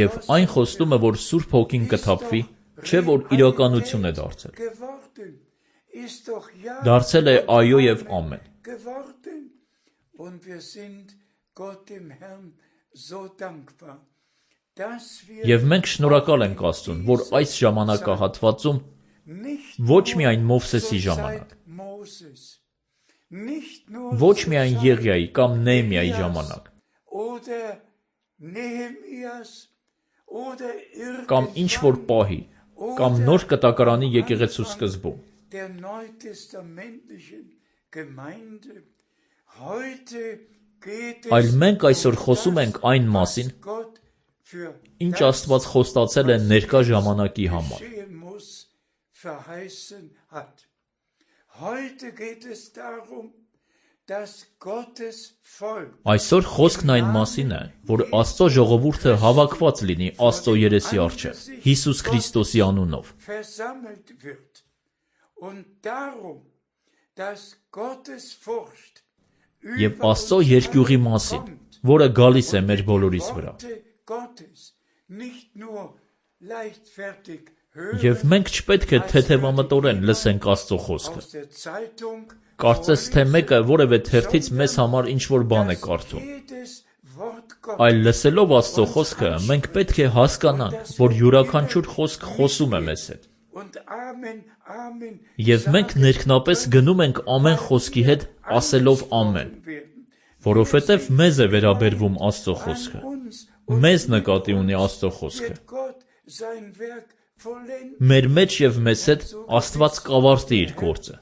Եվ այն խոստումը, որ Սուրբ Հոգին կթափվի, չէ որ իրականություն է դարձել։ Դարձել է այո և ամեն։ Եվ մենք շնորհակալ ենք Աստծուն, որ այս ժամանակահատվածում ոչ միայն Մովսեսի ժամանակ, ոչ միայն Եղիայի կամ Նեհեմիայի ժամանակ, կամ ինչ-որ պահի, կամ նոր կտակարանի եկեղեցու սկզբում, այլ մենք այսօր խոսում ենք այն մասին, ինչ Աստված խոստացել է ներկա ժամանակի համար։ Այսօր խոսքն այն մասին է, որ Աստծո ժողովուրդը հավաքված լինի Աստծո երեսի առջև, Հիսուս Քրիստոսի անունով։ Եվ Աստծո երկյուղի մասին, որը գալիս է մեր բոլորիս վրա։ Եվ մենք չպետք է թեթևամտորեն լսենք Աստծո խոսքը։ Կարծես թե մեկը որևէ թերթից մեզ համար ինչ-որ բան է կարդում։ Այլ լսելով Աստծո խոսքը, մենք պետք է հասկանանք, որ յուրաքանչյուր խոսք խոսում է մեզ հետ։ Եվ մենք ներքնապես գնում ենք ամեն խոսքի հետ, ասելով ամեն, որովհետև մեզ է վերաբերվում Աստծո խոսքը։ Մեզ նկատի ունի Աստծո խոսքը։ Մեր մեջ և մեզ հետ Աստված կավարտի իր գործը։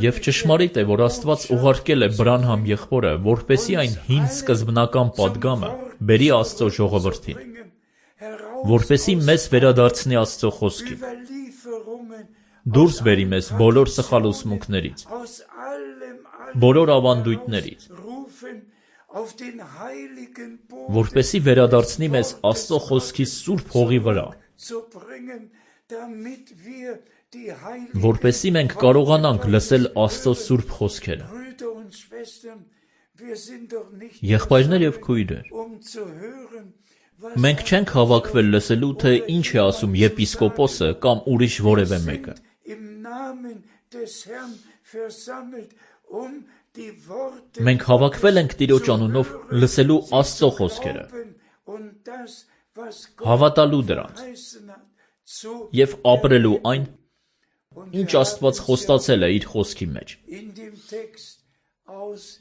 Եվ ճշմարիտ է, որ Աստված ուղարկել է Բրանհամ եղբորը, որպեսզի այն հին սկզբնական պատգամը բերի Աստծո ժողովրդին, որպեսզի մեզ վերադարձնի Աստծո խոսքին, դուրս բերի մեզ բոլոր սխալ ուսմունքներից, բոլոր ավանդույթներից, որպեսզի վերադարձնի մեզ Աստծո խոսքի սուրբ հողի վրա, որպեսզի մենք կարողանանք լսել Աստծո սուրբ խոսքերը։ Եղբայրներ և քույրեր, մենք չենք հավաքվել լսելու, թե ինչ է ասում եպիսկոպոսը կամ ուրիշ որևէ մեկը։ Մենք հավաքվել ենք Տիրոջ անունով լսելու Աստծո խոսքերը, հավատալու դրանց և ապրելու այն, ինչ Աստված խոստացել է իր խոսքի մեջ։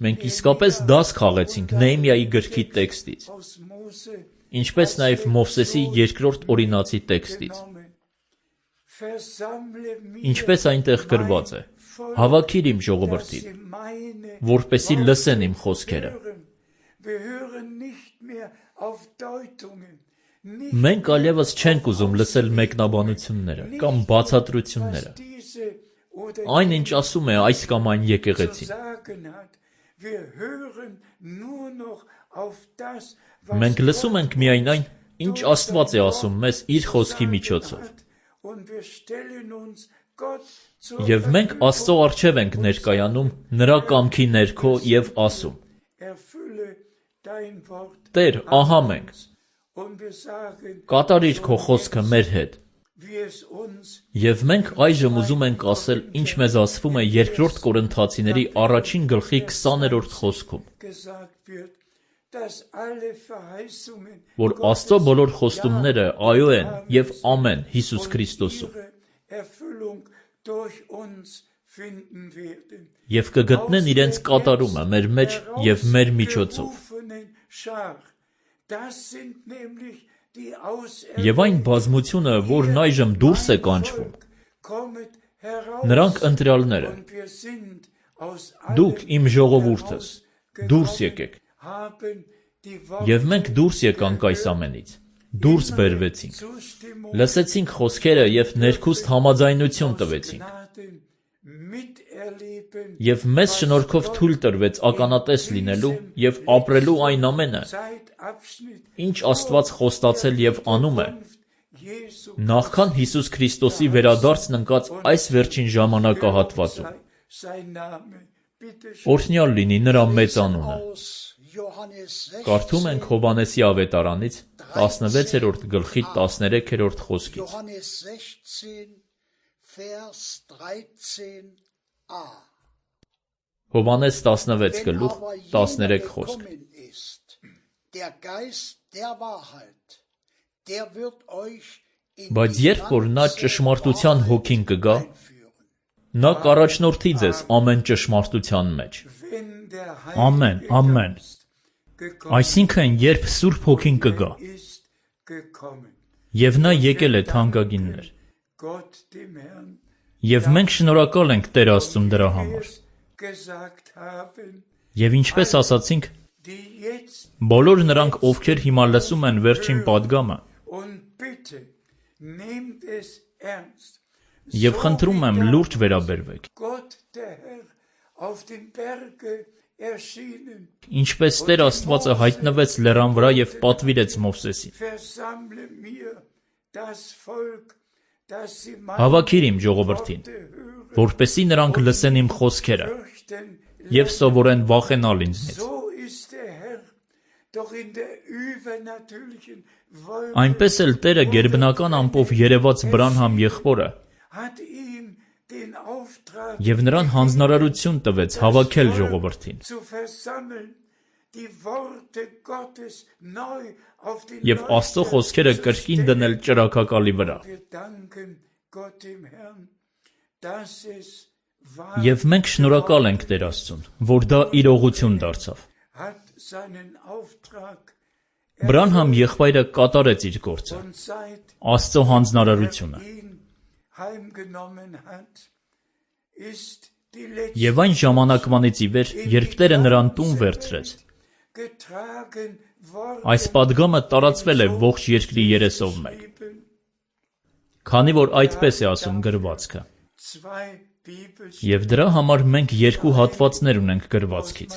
Մենք իսկապես դաս խաղեցինք Նեհեմիայի գրքի տեքստից, ինչպես նաև Մովսեսի երկրորդ օրինացի տեքստից, ինչպես այնտեղ գրված է. «Հավաքիր իմ ժողովրդին, որպեսզի լսեն իմ խոսքերը»։ Մենք այլևս չենք ուզում լսել մեկնաբանությունները կամ բացատրությունները, այն ինչ ասում է այս կամ այն եկեղեցին։ Մենք լսում ենք միայն այն, ինչ Աստված է ասում մեզ իր խոսքի միջոցով։ Եվ մենք Աստծո առջև ենք ներկայանում նրա կամքի ներքո և ասում. «Տեր, ահա մենք, կատարիր քո խոսքը մեր հետ»։ Եվ մենք այժմ ուզում ենք ասել, ինչ մեզ ասվում է երկրորդ Կորինթացիների առաջին գլխի 20-րդ խոսքում, որ Աստծո բոլոր խոստումները այո են և ամեն Հիսուս Քրիստոսում, և կգտնեն իրենց կատարումը մեր մեջ և մեր միջոցով։ Եվ այն բազմությունը, որն այժմ դուրս է կանչվում, նրանք ընտրյալներ են։ Դուք իմ ժողովուրդս, դուրս եկեք։ Եվ մենք դուրս եկանք այս ամենից, դուրս բերվեցինք, լսեցինք խոսքերը և ներքուստ համաձայնություն տվեցինք։ Եվ մեզ շնորհքով թույլ տրվեց ականատես լինելու և ապրելու այն ամենը, ինչ Աստված խոստացել և անում է, նախքան Հիսուս Քրիստոսի վերադարձն ընկած այս վերջին ժամանակահատվածում։ Օրհնյալ լինի նրա մեծ անունը։ Կարդում ենք Հովհաննեսի ավետարանից 16-րդ գլխի 13-րդ խոսքից։ Հովհաննես 16 գլուխ 13 խոսք։ Բայց երբ որ նա ճշմարտության հոգին կգա, նա կառաջնորդի ձեզ ամեն ճշմարտության մեջ։ Ամեն, ամեն։ Այսինքն, երբ Սուրբ Հոգին կգա, և նա եկել է թանկագիններ, և մենք շնորհակալ ենք Տեր Աստծուն դրա համար։ Եվ ինչպես ասացինք, բոլոր նրանք, ովքեր հիմա լսում են վերջին պատգամը, և խնդրում եմ լուրջ վերաբերվեք, ինչպես Տեր Աստվածը հայտնվեց լեռան վրա և պատվիրեց Մովսեսին։ Հավաքիր իմ ժողովրդին, որպեսզի նրանք լսեն իմ խոսքերը և սովորեն վախենալ ինձնից։ Այնպես էլ Տերը գերբնական ամպով երևաց Բրանհամ եղբորը և նրան հանձնարարություն տվեց հավաքել ժողովրդին։ Եվ Աստծո խոսքերը կրկին դնել ճրագակալի վրա։ Եվ մենք շնորհակալ ենք Տեր Աստծուն, որ դա իրողություն դարձավ։ Բրանհամ եղբայրը կատարեց իր գործը, Աստծո հանձնարարությունը, եւ այն ժամանակվանից ի վեր, երբ Տերը նրան տուն վերցրեց, այս պատգամը տարածվել է ողջ երկրի երեսով մեկ, քանի որ այդպես է ասում գրվածքը, եւ դրա համար մենք երկու հատվածներ ունենք գրվածքից.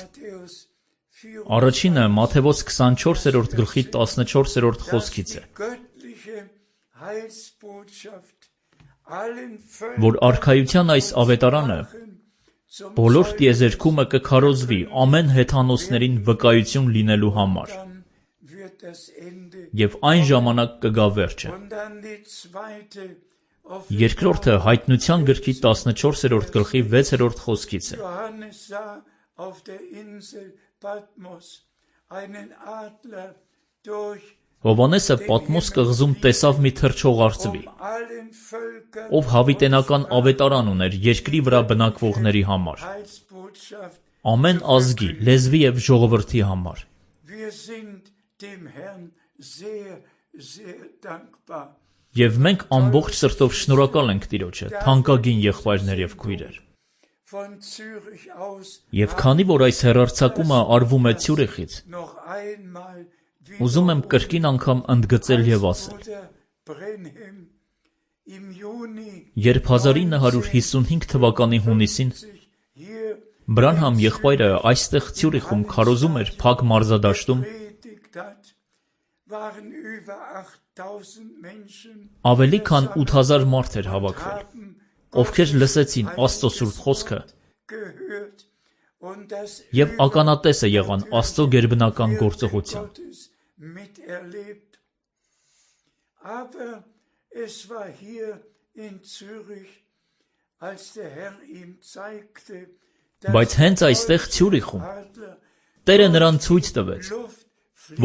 Առաջինը Մատթեոս 24-րդ գլխի 14-րդ խոսքից է, որ արքայության այս ավետարանը բոլոր տիեզերքումը կքարոզվի ամեն հեթանոսներին վկայություն լինելու համար, եւ այն ժամանակ կգա վերջը։ Երկրորդը Հայտնության գրքի 14-րդ գլխի 6-րդ խոսքից է, Հովհաննեսը Պատմոս կղզում տեսավ մի թռչող արծվի, ով հավիտենական ավետարան ուներ երկրի վրա բնակվողների համար, ամեն ազգի, լեզվի եւ ժողովրդի համար։ Եվ մենք ամբողջ սրտով շնորհակալ ենք Տիրոջը, թանկագին եղբայրներ եւ քույրեր։ Եվ քանի որ այս հեռարձակումը արվում է Ցյուրիխից, ուզում եմ կրկին անգամ ընդգծել եւ ասել. Երբ 1955 թվականի հունիսին Բրանհամ եղբայրը այստեղ Ցյուրիխում քարոզում էր Փակ մարզադաշտում, ավելի քան 8000 մարդ էր հավաքվել, ովքեր լսեցին Աստծո սուրբ խոսքը եւ ականատեսը եղան Աստծո գերբնական գործողության։ Բայց հենց այստեղ Ցյուրիխում Տերը նրան ցույց տվեց,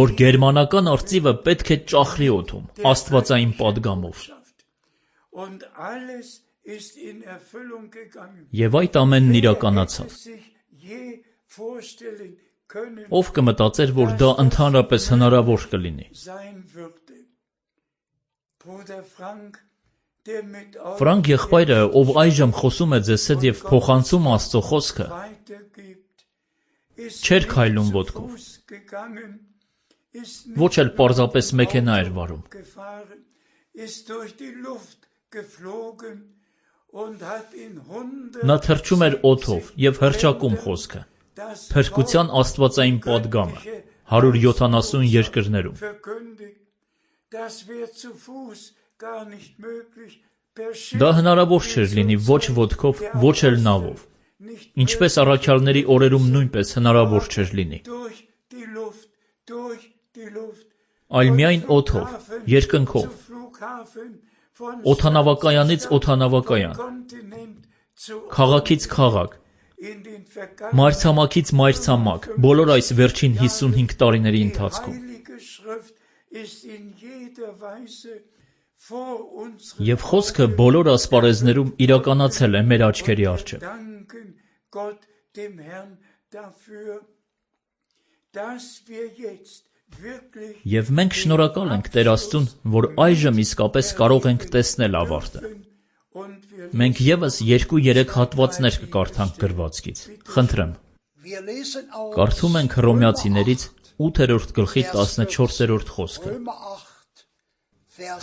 որ գերմանական արծիվը պետք է ճախրի օդում աստվածային պատգամով։ Եվ այդ ամենն իրականացավ։ Ով կմտածեր, որ դա ընդհանրապես հնարավոր կլինի։ Ֆրանկ եղբայրը, ով այժմ խոսում է ձեզ հետ եւ փոխանցում Աստծո խոսքը, չէր քայլում ոտքով, ոչ էլ պարզապես մեքենա էր վարում։ Նա թռչում էր օդով եւ հռչակում խոսքը, փրկության աստվածային պատգամը 170 երկրներում։ Դա հնարավոր չէր լինի ոչ ոտքով, ոչ էլ նավով, ինչպես առաքյալների օրերում նույնպես հնարավոր չէր լինի, այլ միայն օդով, երկնքով, օդանավակայանից օդանավակայան, քաղաքից քաղաք, մայրցամաքից մայրցամաք, բոլոր այս վերջին 55 տարիների ընթացքում։ Եվ խոսքը բոլոր ասպարեզներում իրականացել է մեր աչքերի առջև։ Եվ մենք շնորհակալ ենք Տեր Աստծուն, որ այժմ իսկապես կարող ենք տեսնել ավարտը։ Մենք եւս 2-3 հատվածներ կկարդանք գրվածքից։ Խնդրեմ։ Կարդում ենք Հռոմեացիներից 8-րդ գլխի 14-րդ խոսքը։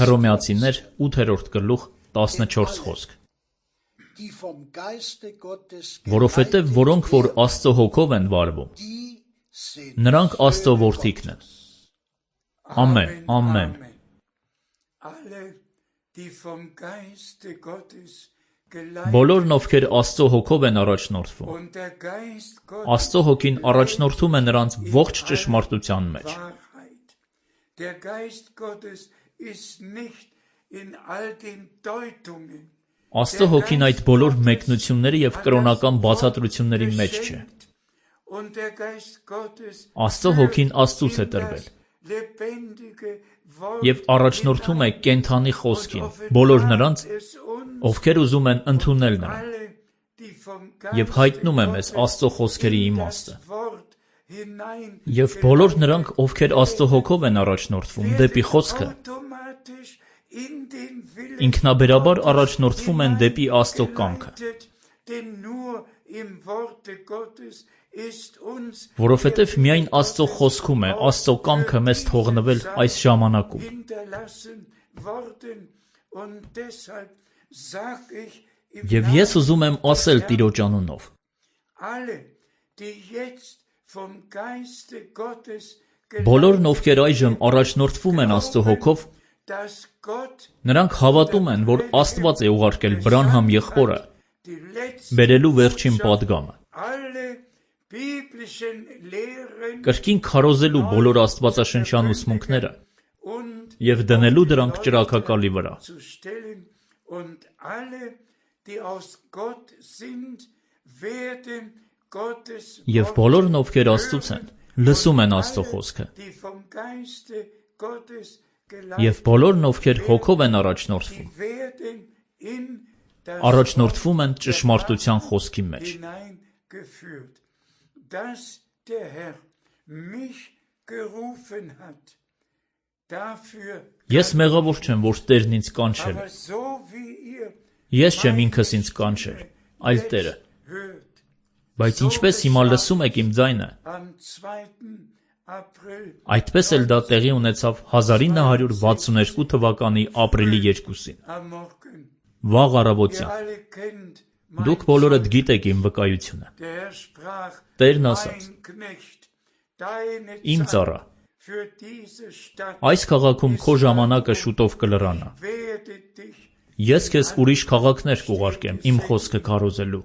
Հռոմեացիներ 8-րդ գլուխ 14 խոսք։ Որովհետև որոնք որ Աստծո հոգով են վարվում, նրանք Աստծո որդիքն են։ Ամեն, ամեն։ Բոլորն ովքեր Աստծո հոգով են առաջնորդվում, Աստծո հոգին առաջնորդում է նրանց ողջ ճշմարտության մեջ։ Աստծո հոգին այդ բոլոր մեկնությունների եւ կրոնական բացատրությունների մեջ չէ։ Աստծո հոգին Աստծուց է տրվել եւ առաջնորդում է կենդանի խոսքին բոլոր նրանց, ովքեր ուզում են ընդունել նրան, եւ հայտնում է մեզ Աստծո խոսքերի իմաստը։ Եվ բոլոր նրանք, ովքեր Աստծո հոգով են առաջնորդվում դեպի խոսքը, ինքնաբերաբար առաջնորդվում են դեպի Աստծո կամքը։ Որովհետև միայն Աստծո խոսքում է Աստծո կամքը մեզ թողնվել այս ժամանակում։ Եվ ես ուզում եմ ասել Տիրոջ անունով. բոլորն, ովքեր այժմ առաջնորդվում են Աստծո հոգով, նրանք հավատում են, որ Աստված է ուղարկել Բրանհամ եղբորը բերելու վերջին պատգամը, կրկին քարոզելու բոլոր աստվածաշնչյան ուսմունքները և դնելու դրանք ճրագակալի վրա։ Եվ բոլորն, ովքեր Աստծուց են, լսում են Աստծո խոսքը։ Եվ բոլորն, ովքեր հոգով են առաջնորդվում են ճշմարտության խոսքի մեջ։ Ես մեղավոր չեմ, որ Տերն ինձ կանչել է։ Ես չեմ ինքս ինձ կանչել, այլ Տերը։ Բայց ինչպես հիմա լսում եք իմ ձայնը, այդպես էլ դա տեղի ունեցավ 1962 թվականի ապրիլի 2-ին, վաղ առավոտյան։ Դուք բոլորդ գիտեք իմ վկայությունը։ Տերն ասաց. «Իմ ծառա, այս քաղաքում քո ժամանակը շուտով կլրանա։ Ես քեզ ուրիշ քաղաքներ կուղարկեմ իմ խոսքը քարոզելու։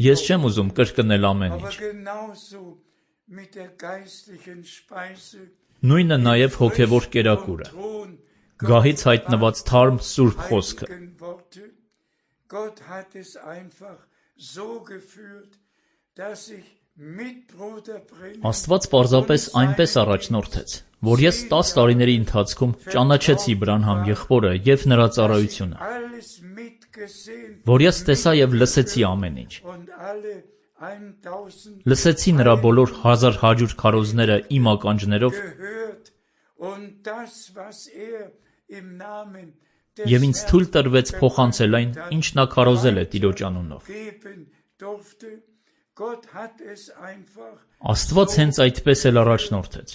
Ես չեմ ուզում կրկնել ամեն ինչ։ Նույնը նաև հոգևոր կերակուրը, գահից հայտնված թարմ սուրբ խոսքը։ Աստված պարզապես այնպես առաջնորդեց, որ ես 10 տարիների ընթացքում ճանաչեցի Բրանհամ եղբորը և նրա ծառայությունը, որ ես տեսա և լսեցի ամեն ինչ։ Լսեցի նրա բոլոր 1100 քարոզները իմ ականջներով և ինձ թույլ տրվեց փոխանցել այն, ինչ նա քարոզել է Տիրոջ անունով։ Աստված հենց այդպես էլ առաջնորդեց։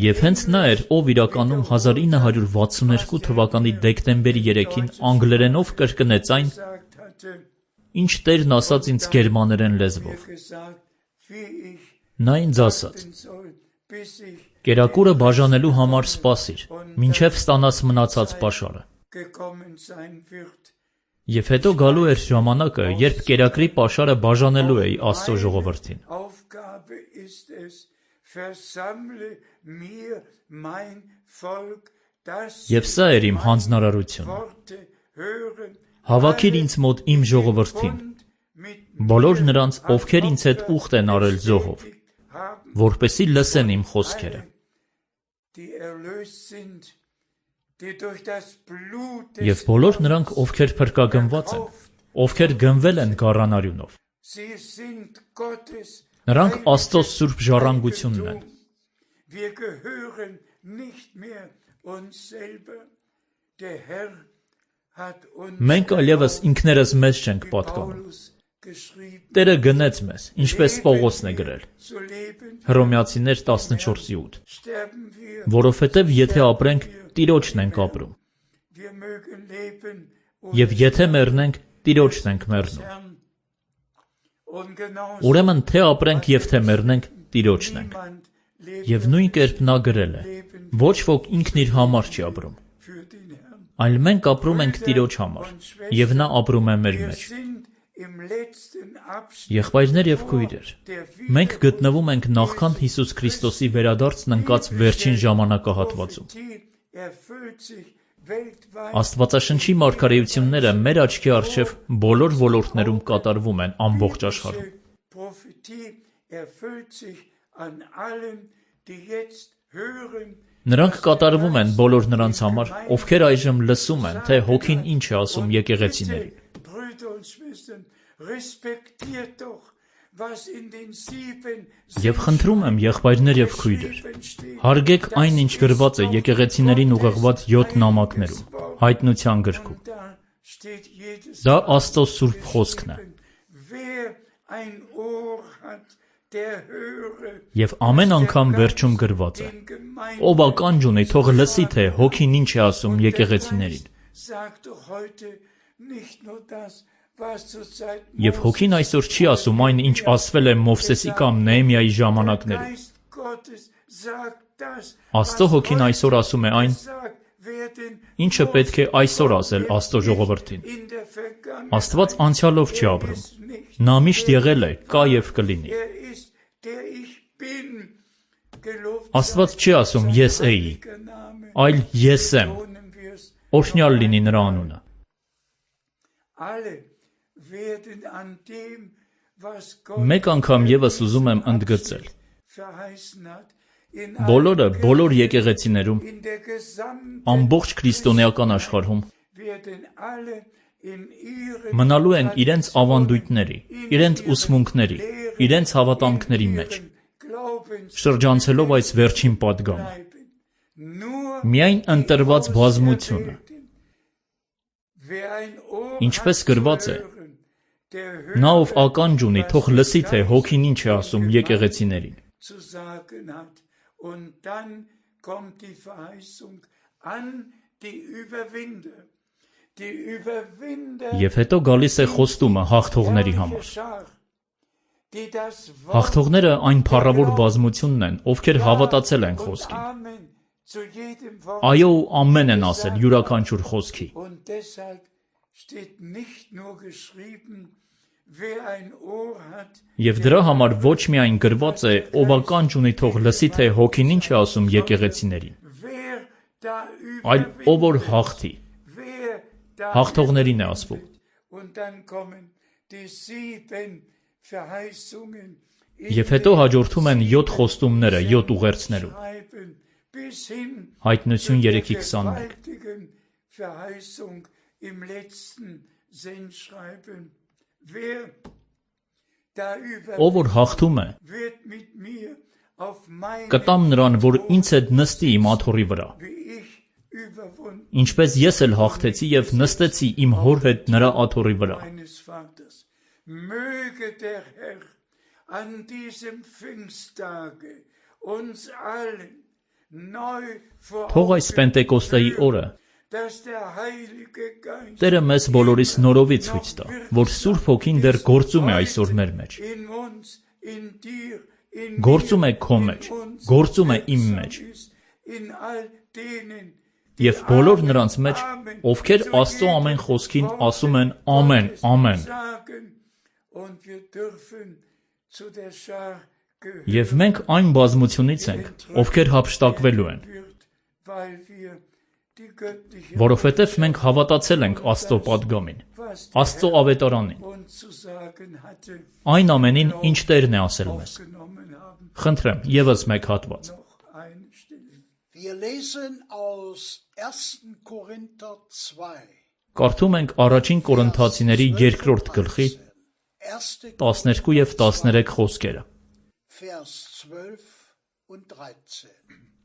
Եվ հենց նա էր, ով իրականում 1962 թվականի դեկտեմբերի 3-ին անգլերենով կրկնեց այն, ինչ Տերն ասաց ինձ գերմաներեն լեզվով։ Նա ինձ ասաց. «Կերակուրը բաժանելու համար սպասիր, մինչև ստանաս մնացած պաշարը։ Եվ հետո գալու էր ժամանակը, երբ կերակրի պաշարը բաժանելու էի Աստծո ժողովրդին։ Եվ սա էր իմ հանձնարարությունը. հավաքիր ինձ մոտ իմ ժողովրդին, բոլոր նրանց, ովքեր ինձ հետ ուխտ են արել զոհով, որպեսզի լսեն իմ խոսքերը։ Եվ բոլոր նրանք, ովքեր փրկագնված են, ովքեր գնվել են գառանարյունով, նրանք Աստծո սուրբ ժառանգությունն են։ Մենք այլևս ինքներս մեզ չենք պատկանում։ Տերը գնեց մեզ, ինչպես Պողոսն է գրել, Հռոմեացիներ 14:8, որովհետև եթե ապրենք, Տիրոջն ենք ապրում, և եթե մեռնենք, Տիրոջն ենք մեռնում։ Ուրեմն թե ապրենք և թե մեռնենք, Տիրոջն ենք։ Եվ նույն կերպ նա գրել է. ոչ ոք ինքն իր համար չի ապրում, այլ մենք ապրում ենք Տիրոջ համար, և նա ապրում է մեր մեջ։ Եղբայրներ և քույրեր, մենք գտնվում ենք նախքան Հիսուս Քրիստոսի վերադարձն ընկած վերջին ժամանակահատվածում։ Աստվածաշնչի մարգարեությունները մեր աչքի առջև բոլոր ոլորտներում կատարվում են ամբողջ աշխարհում։ Նրանք կատարվում են բոլոր նրանց համար, ովքեր այժմ լսում են, թե Հոգին ինչ է ասում եկեղեցիներին։ Եվ խնդրում եմ, եղբայրներ եւ քույրեր, հարգեք այն, ինչ գրված է եկեղեցիներին ուղղված 7 նամակներում, Հայտնության գրքում։ Դա Աստծո սուրբ խոսքն է։ Եվ ամեն անգամ վերջում գրված է. ով ականջ ունի, թող լսի, թե Հոգին ինչ է ասում եկեղեցիներին։ Եվ Հոգին այսօր չի ասում այն, ինչ ասվել է Մովսեսի կամ Նեհեմիայի ժամանակներում։ Աստծո Հոգին այսօր ասում է այն, ինչը պետք է այսօր ասել Աստծո ժողովրդին։ Աստված անցյալով չի ապրում։ Նա միշտ եղել է, կա եւ կլինի։ Աստված չի ասում ես էի, այլ ես եմ։ Օրհնյալ լինի նրա անունը։ Մեկ անգամ եւս ուզում եմ ընդգծել. բոլորը, բոլոր եկեղեցիներում, ամբողջ քրիստոնեական աշխարհում մնալու են իրենց ավանդույթների, իրենց ուսմունքների, իրենց հավատամքների մեջ, շրջանցելով այս վերջին պատգամը։ Միայն ընտրված բազմությունը, ինչպես գրված է, նա ով ականջ ունի, թող լսի, թե Հոգին ինչ է ասում եկեղեցիներին։ Եվ հետո գալիս է խոստումը հաղթողների համար։ Հաղթողները այն փառավոր բազմությունն են, ովքեր հավատացել են խոսքին։ Այո ու ամեն են ասել յուրաքանչյուր խոսքի։ Եվ դրա համար ոչ միայն գրված է, ով ականջ ունի, թող լսի, թե Հոգին ինչ է ասում եկեղեցիներին, այլ ով որ հաղթի, հաղթողներին է ասվում։ Եվ հետո հաջորդում են 7 խոստումները 7 ուղերձներում։ Հայտնություն 3:21։ Ով որ հաղթում է, կտամ նրան, որ ինձ հետ նստի իմ աթոռի վրա, ինչպես ես էլ հաղթեցի եւ նստեցի իմ հոր հետ նրա աթոռի վրա։ Թող այս Պենտեկոստեի օրը Տերը մեզ բոլորիս նորովի ցույց տա, որ Սուրբ Հոգին դեռ գործում է այսօր մեր մեջ։ Գործում է քո մեջ, գործում է իմ մեջ։ Եվ բոլոր նրանց մեջ, ովքեր Աստծո ամեն խոսքին ասում են ամեն, ամեն։ Եվ մենք այն բազմությունից ենք, ովքեր հափշտակվելու են, որովհետև մենք հավատացել ենք Աստծո պատգամին, Աստծո ավետարանին, այն ամենին, ինչ Տերն է ասել մեզ։ Խնդրեմ, ևս մեկ հատված։ Կարդում ենք առաջին Կորինթացիների 2-րդ գլխի 12 եւ 13 խոսքերը։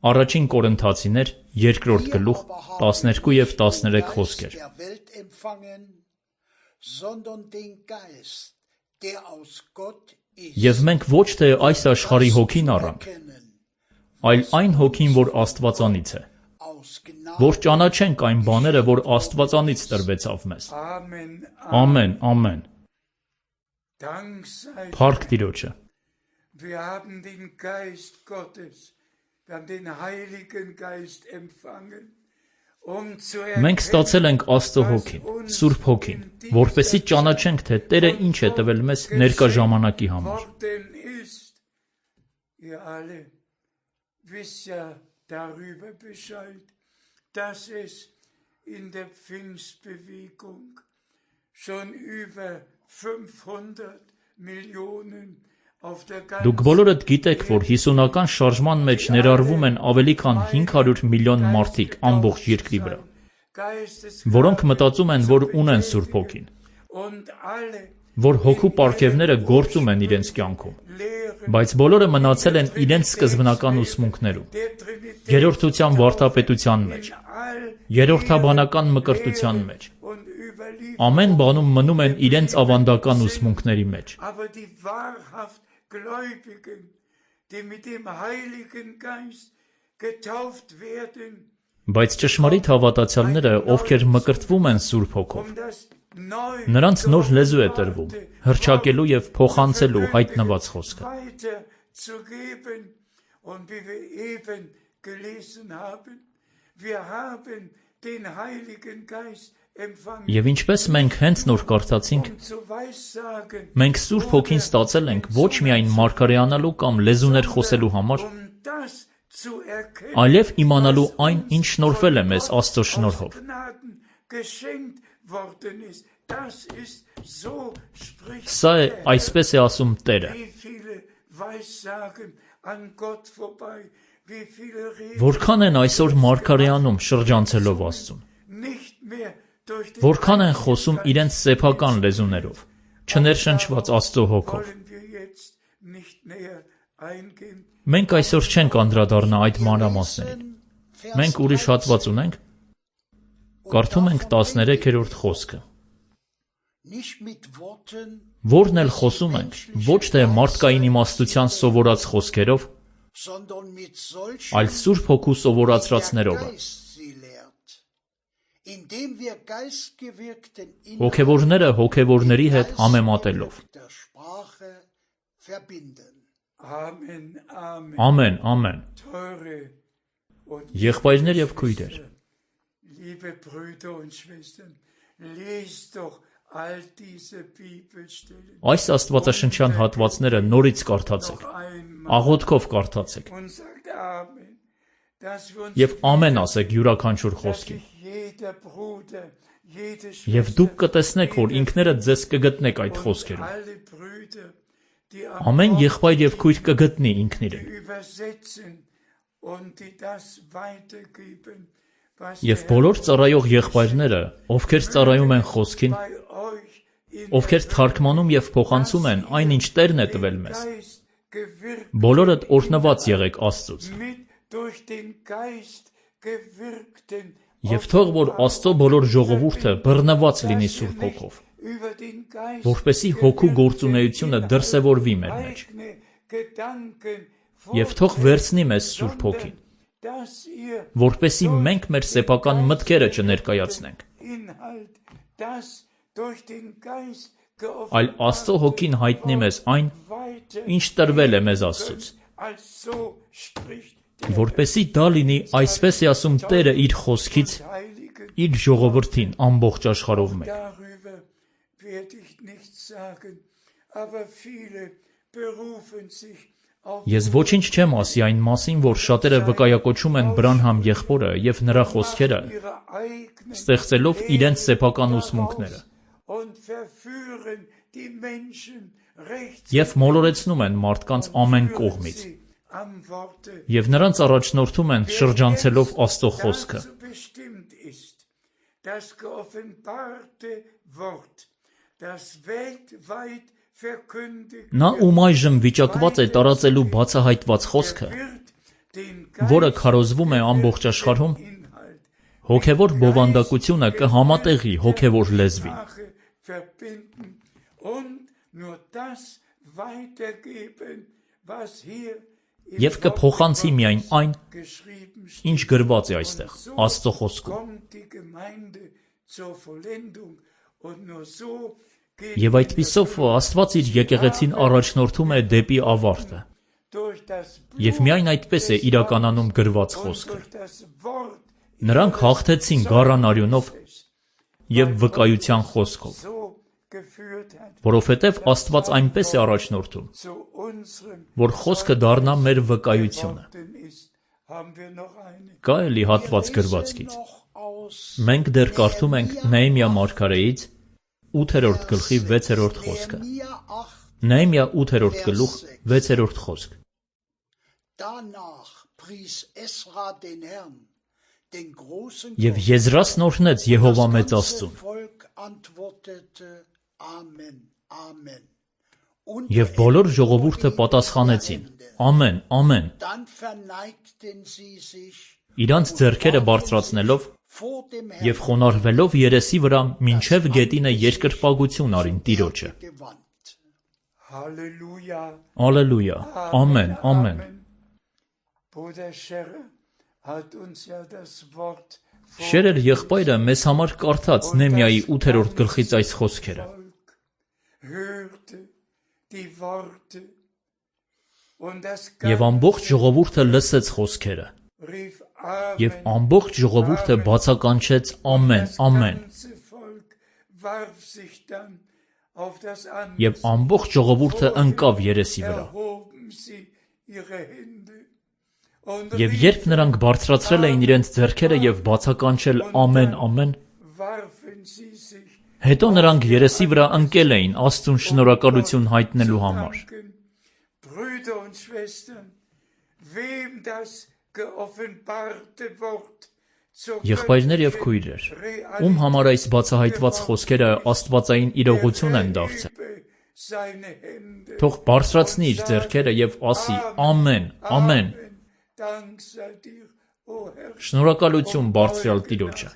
Առաջին Կորինթացիներ 2-րդ գլուխ 12 եւ 13 խոսքեր։ Եվ մենք ոչ թե այս աշխարհի հոգին առանք, այլ այն հոգին, որ Աստվածանից է, որ ճանաչենք այն բաները, որ Աստվածանից տրվեցավ մեզ։ Ամեն, ամեն։ Փառք Տիրոջը։ Մենք ստացել ենք Աստծո Հոգին, Սուրբ Հոգին, որպեսզի ճանաչենք, թե Տերը ինչ է տվել մեզ ներկա ժամանակի համար։ Դուք բոլորդ գիտեք, որ 50-ական շարժման մեջ ներառվում են ավելի քան 500 միլիոն մարդիկ ամբողջ երկրի վրա, որոնք մտածում են, որ ունեն Սուրբ Հոգին, որ հոգու պարգևները գործում են իրենց կյանքում, բայց բոլորը մնացել են իրենց սկզբնական ուսմունքներում, երրորդության վարդապետության մեջ, երրորդաբանական մկրտության մեջ, ամեն բանում մնում են իրենց ավանդական ուսմունքների մեջ։ Բայց ճշմարիտ հավատացյալները, ովքեր մկրտվում են Սուրբ Հոգով, նրանց նոր լեզու է տրվում, հռչակելու և փոխանցելու հայտնված խոսքը։ Եվ ինչպես մենք հենց նոր կարդացինք, մենք Սուրբ Հոգին ստացել ենք ոչ միայն մարգարեանալու կամ լեզուներ խոսելու համար, այլև իմանալու այն, ինչ շնորհվել է մեզ Աստծո շնորհով։ Սա է, այսպես է ասում Տերը։ Որքան են այսօր մարգարեանում շրջանցելով Աստծուն, որքան են խոսում իրենց սեփական լեզուներով, չներշնչված Աստծո Հոգով։ Մենք այսօր չենք անդրադառնա այդ մանրամասներին։ Մենք ուրիշ հատված ունենք, կարդում ենք 13-րդ խոսքը, որն էլ խոսում ենք, ոչ թե մարդկային իմաստության սովորած խոսքերով, այլ Սուրբ Հոգու սովորացրածներով է։ Հոգևորները հոգևորների հետ համեմատելով։ Ամեն, ամեն։ Եղբայրներ և քույրեր, այս աստվածաշնչյան հատվածները նորից կարդացեք, աղոթքով կարդացեք և ամեն ասեք յուրաքանչյուր խոսքին։ Եվ դուք կտեսնեք, որ ինքներդ ձեզ կգտնեք այդ խոսքերում։ Ամեն եղբայր և քույր կգտնի ինքն իրեն։ Եվ բոլոր ծառայող եղբայրները, ովքեր ծառայում են խոսքին, ովքեր թարգմանում և փոխանցում են այն, ինչ Տերն է տվել մեզ, բոլորդ օրհնված եղեք Աստծուց։ Եվ թող որ Աստծո բոլոր ժողովուրդը բռնված լինի Սուրբ Հոգով, որպեսզի հոգու գործունեությունը դրսևորվի մեր մեջ, և թող վերցնի մեզ Սուրբ Հոգին, որպեսզի մենք մեր սեփական մտքերը չներկայացնենք, այլ Աստծո Հոգին հայտնի մեզ այն, ինչ տրվել է մեզ Աստծուց, որպեսզի դա լինի, այսպես է ասում Տերը իր խոսքից, իր ժողովրդին ամբողջ աշխարհով մեկ։ Ես ոչինչ չեմ ասի այն մասին, որ շատերը վկայակոչում են Բրանհամ եղբորը և նրա խոսքերը, ստեղծելով իրենց սեփական ուսմունքները, և մոլորեցնում են մարդկանց ամեն կողմից, և նրանց առաջնորդում են շրջանցելով Աստծո խոսքը։ Նա, ում այժմ վիճակված է տարածելու բացահայտված խոսքը, որը քարոզվում է ամբողջ աշխարհում, հոգևոր բովանդակությունը կհամատեղի հոգևոր լեզվին։ Եվ կփոխանցի միայն այն, ինչ գրված է այստեղ, Աստծո խոսքում։ Եվ այդպիսով Աստված իր եկեղեցին առաջնորդում է դեպի ավարտը։ Եվ միայն այդպես է իրականանում գրված խոսքը։ Նրանք հաղթեցին գառան արյունով և վկայության խոսքով, որովհետև Աստված այնպես է առաջնորդում, որ խոսքը դառնա մեր վկայությունը։ Կա էլի հատված գրվածքից։ Մենք դեռ կարդում ենք Նեհեմիա մարգարեից 8-րդ գլխի 6-րդ խոսքը։ Նեհեմիա 8-րդ գլուխ 6-րդ խոսք։ Եվ Եզրասն օրհնեց Եհովա մեծ Աստծուն։ Եվ բոլոր ժողովուրդը պատասխանեցին. Ամեն, ամեն։ Իրանց ձեռքերը բարձրացնելով և խոնարհվելով երեսի վրա մինչև գետինը երկրպագություն արին Տիրոջը։ Ալելույա, ամեն, ամեն։ Շերեր եղբայրը մեզ համար կարդաց Նեհեմիայի 8-րդ գլխից այս խոսքերը։ Եվ ամբողջ ժողովուրդը լսեց խոսքերը։ Եվ ամբողջ ժողովուրդը բացականչեց ամեն, ամեն։ Եվ ամբողջ ժողովուրդը ընկավ երեսի վրա։ Եվ երբ նրանք բարձրացրել էին իրենց ձեռքերը և բացականչել ամեն, ամեն, հետո նրանք երեսի վրա ընկել էին Աստծուն շնորհակալություն հայտնելու համար։ Եղբայրներ և քույրեր, ում համար այս բացահայտված խոսքերը աստվածային իրողություն են դարձել, թող բարձրացնի իր ձեռքերը և ասի ամեն, ամեն։ Շնորհակալություն Բարձրյալ Տիրոջը։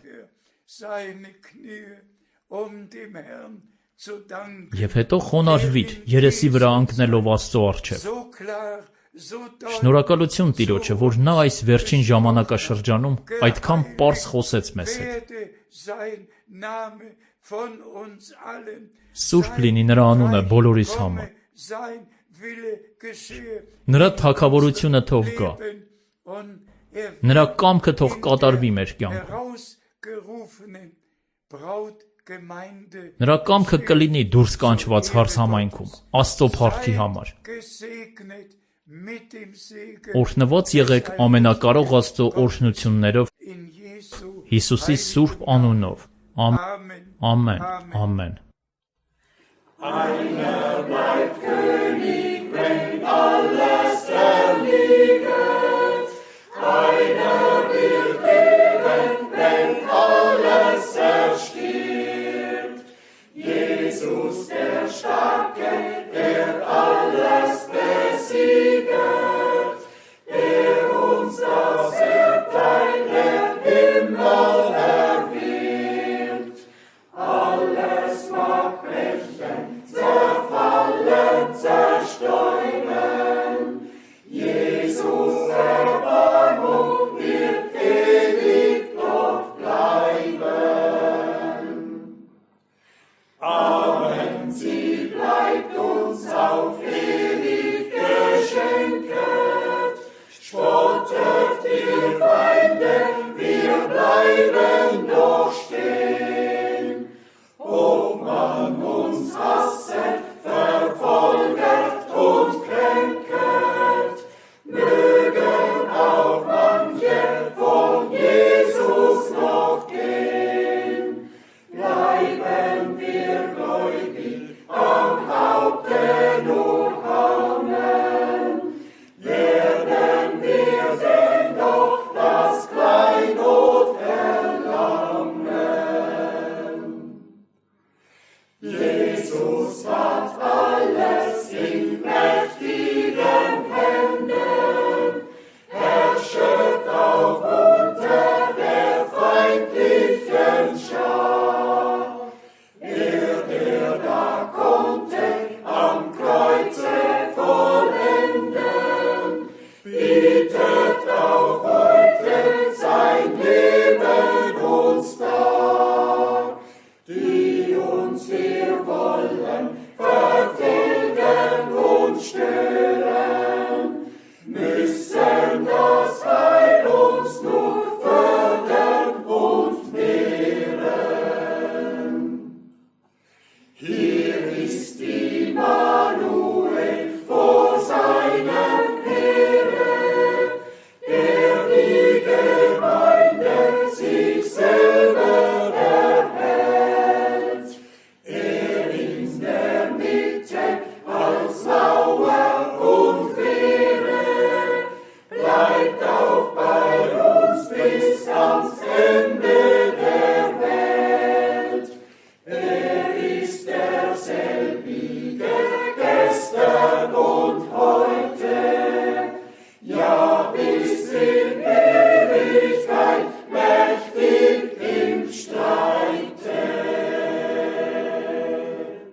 Եվ հետո խոնարհվիր երեսի վրա ընկնելով Աստծո առջև։ Շնորհակալություն Տիրոջը, որ նա այս վերջին ժամանակաշրջանում այդքան պարզ խոսեց մեզ հետ։ Սուրբ լինի նրա անունը բոլորիս համար։ Նրա թագավորությունը թող գա։ Նրա կամքը թող կատարվի մեր կյանքում։ Նրա կամքը կլինի դուրս կանչված հարսամայնքում, Աստծո փառքի համար։ Օրհնված եղեք ամենակարող Աստծո օրհնություններով Հիսուսի սուրբ անունով։ Ամեն, ամեն։
Einer bleibt König, wenn alles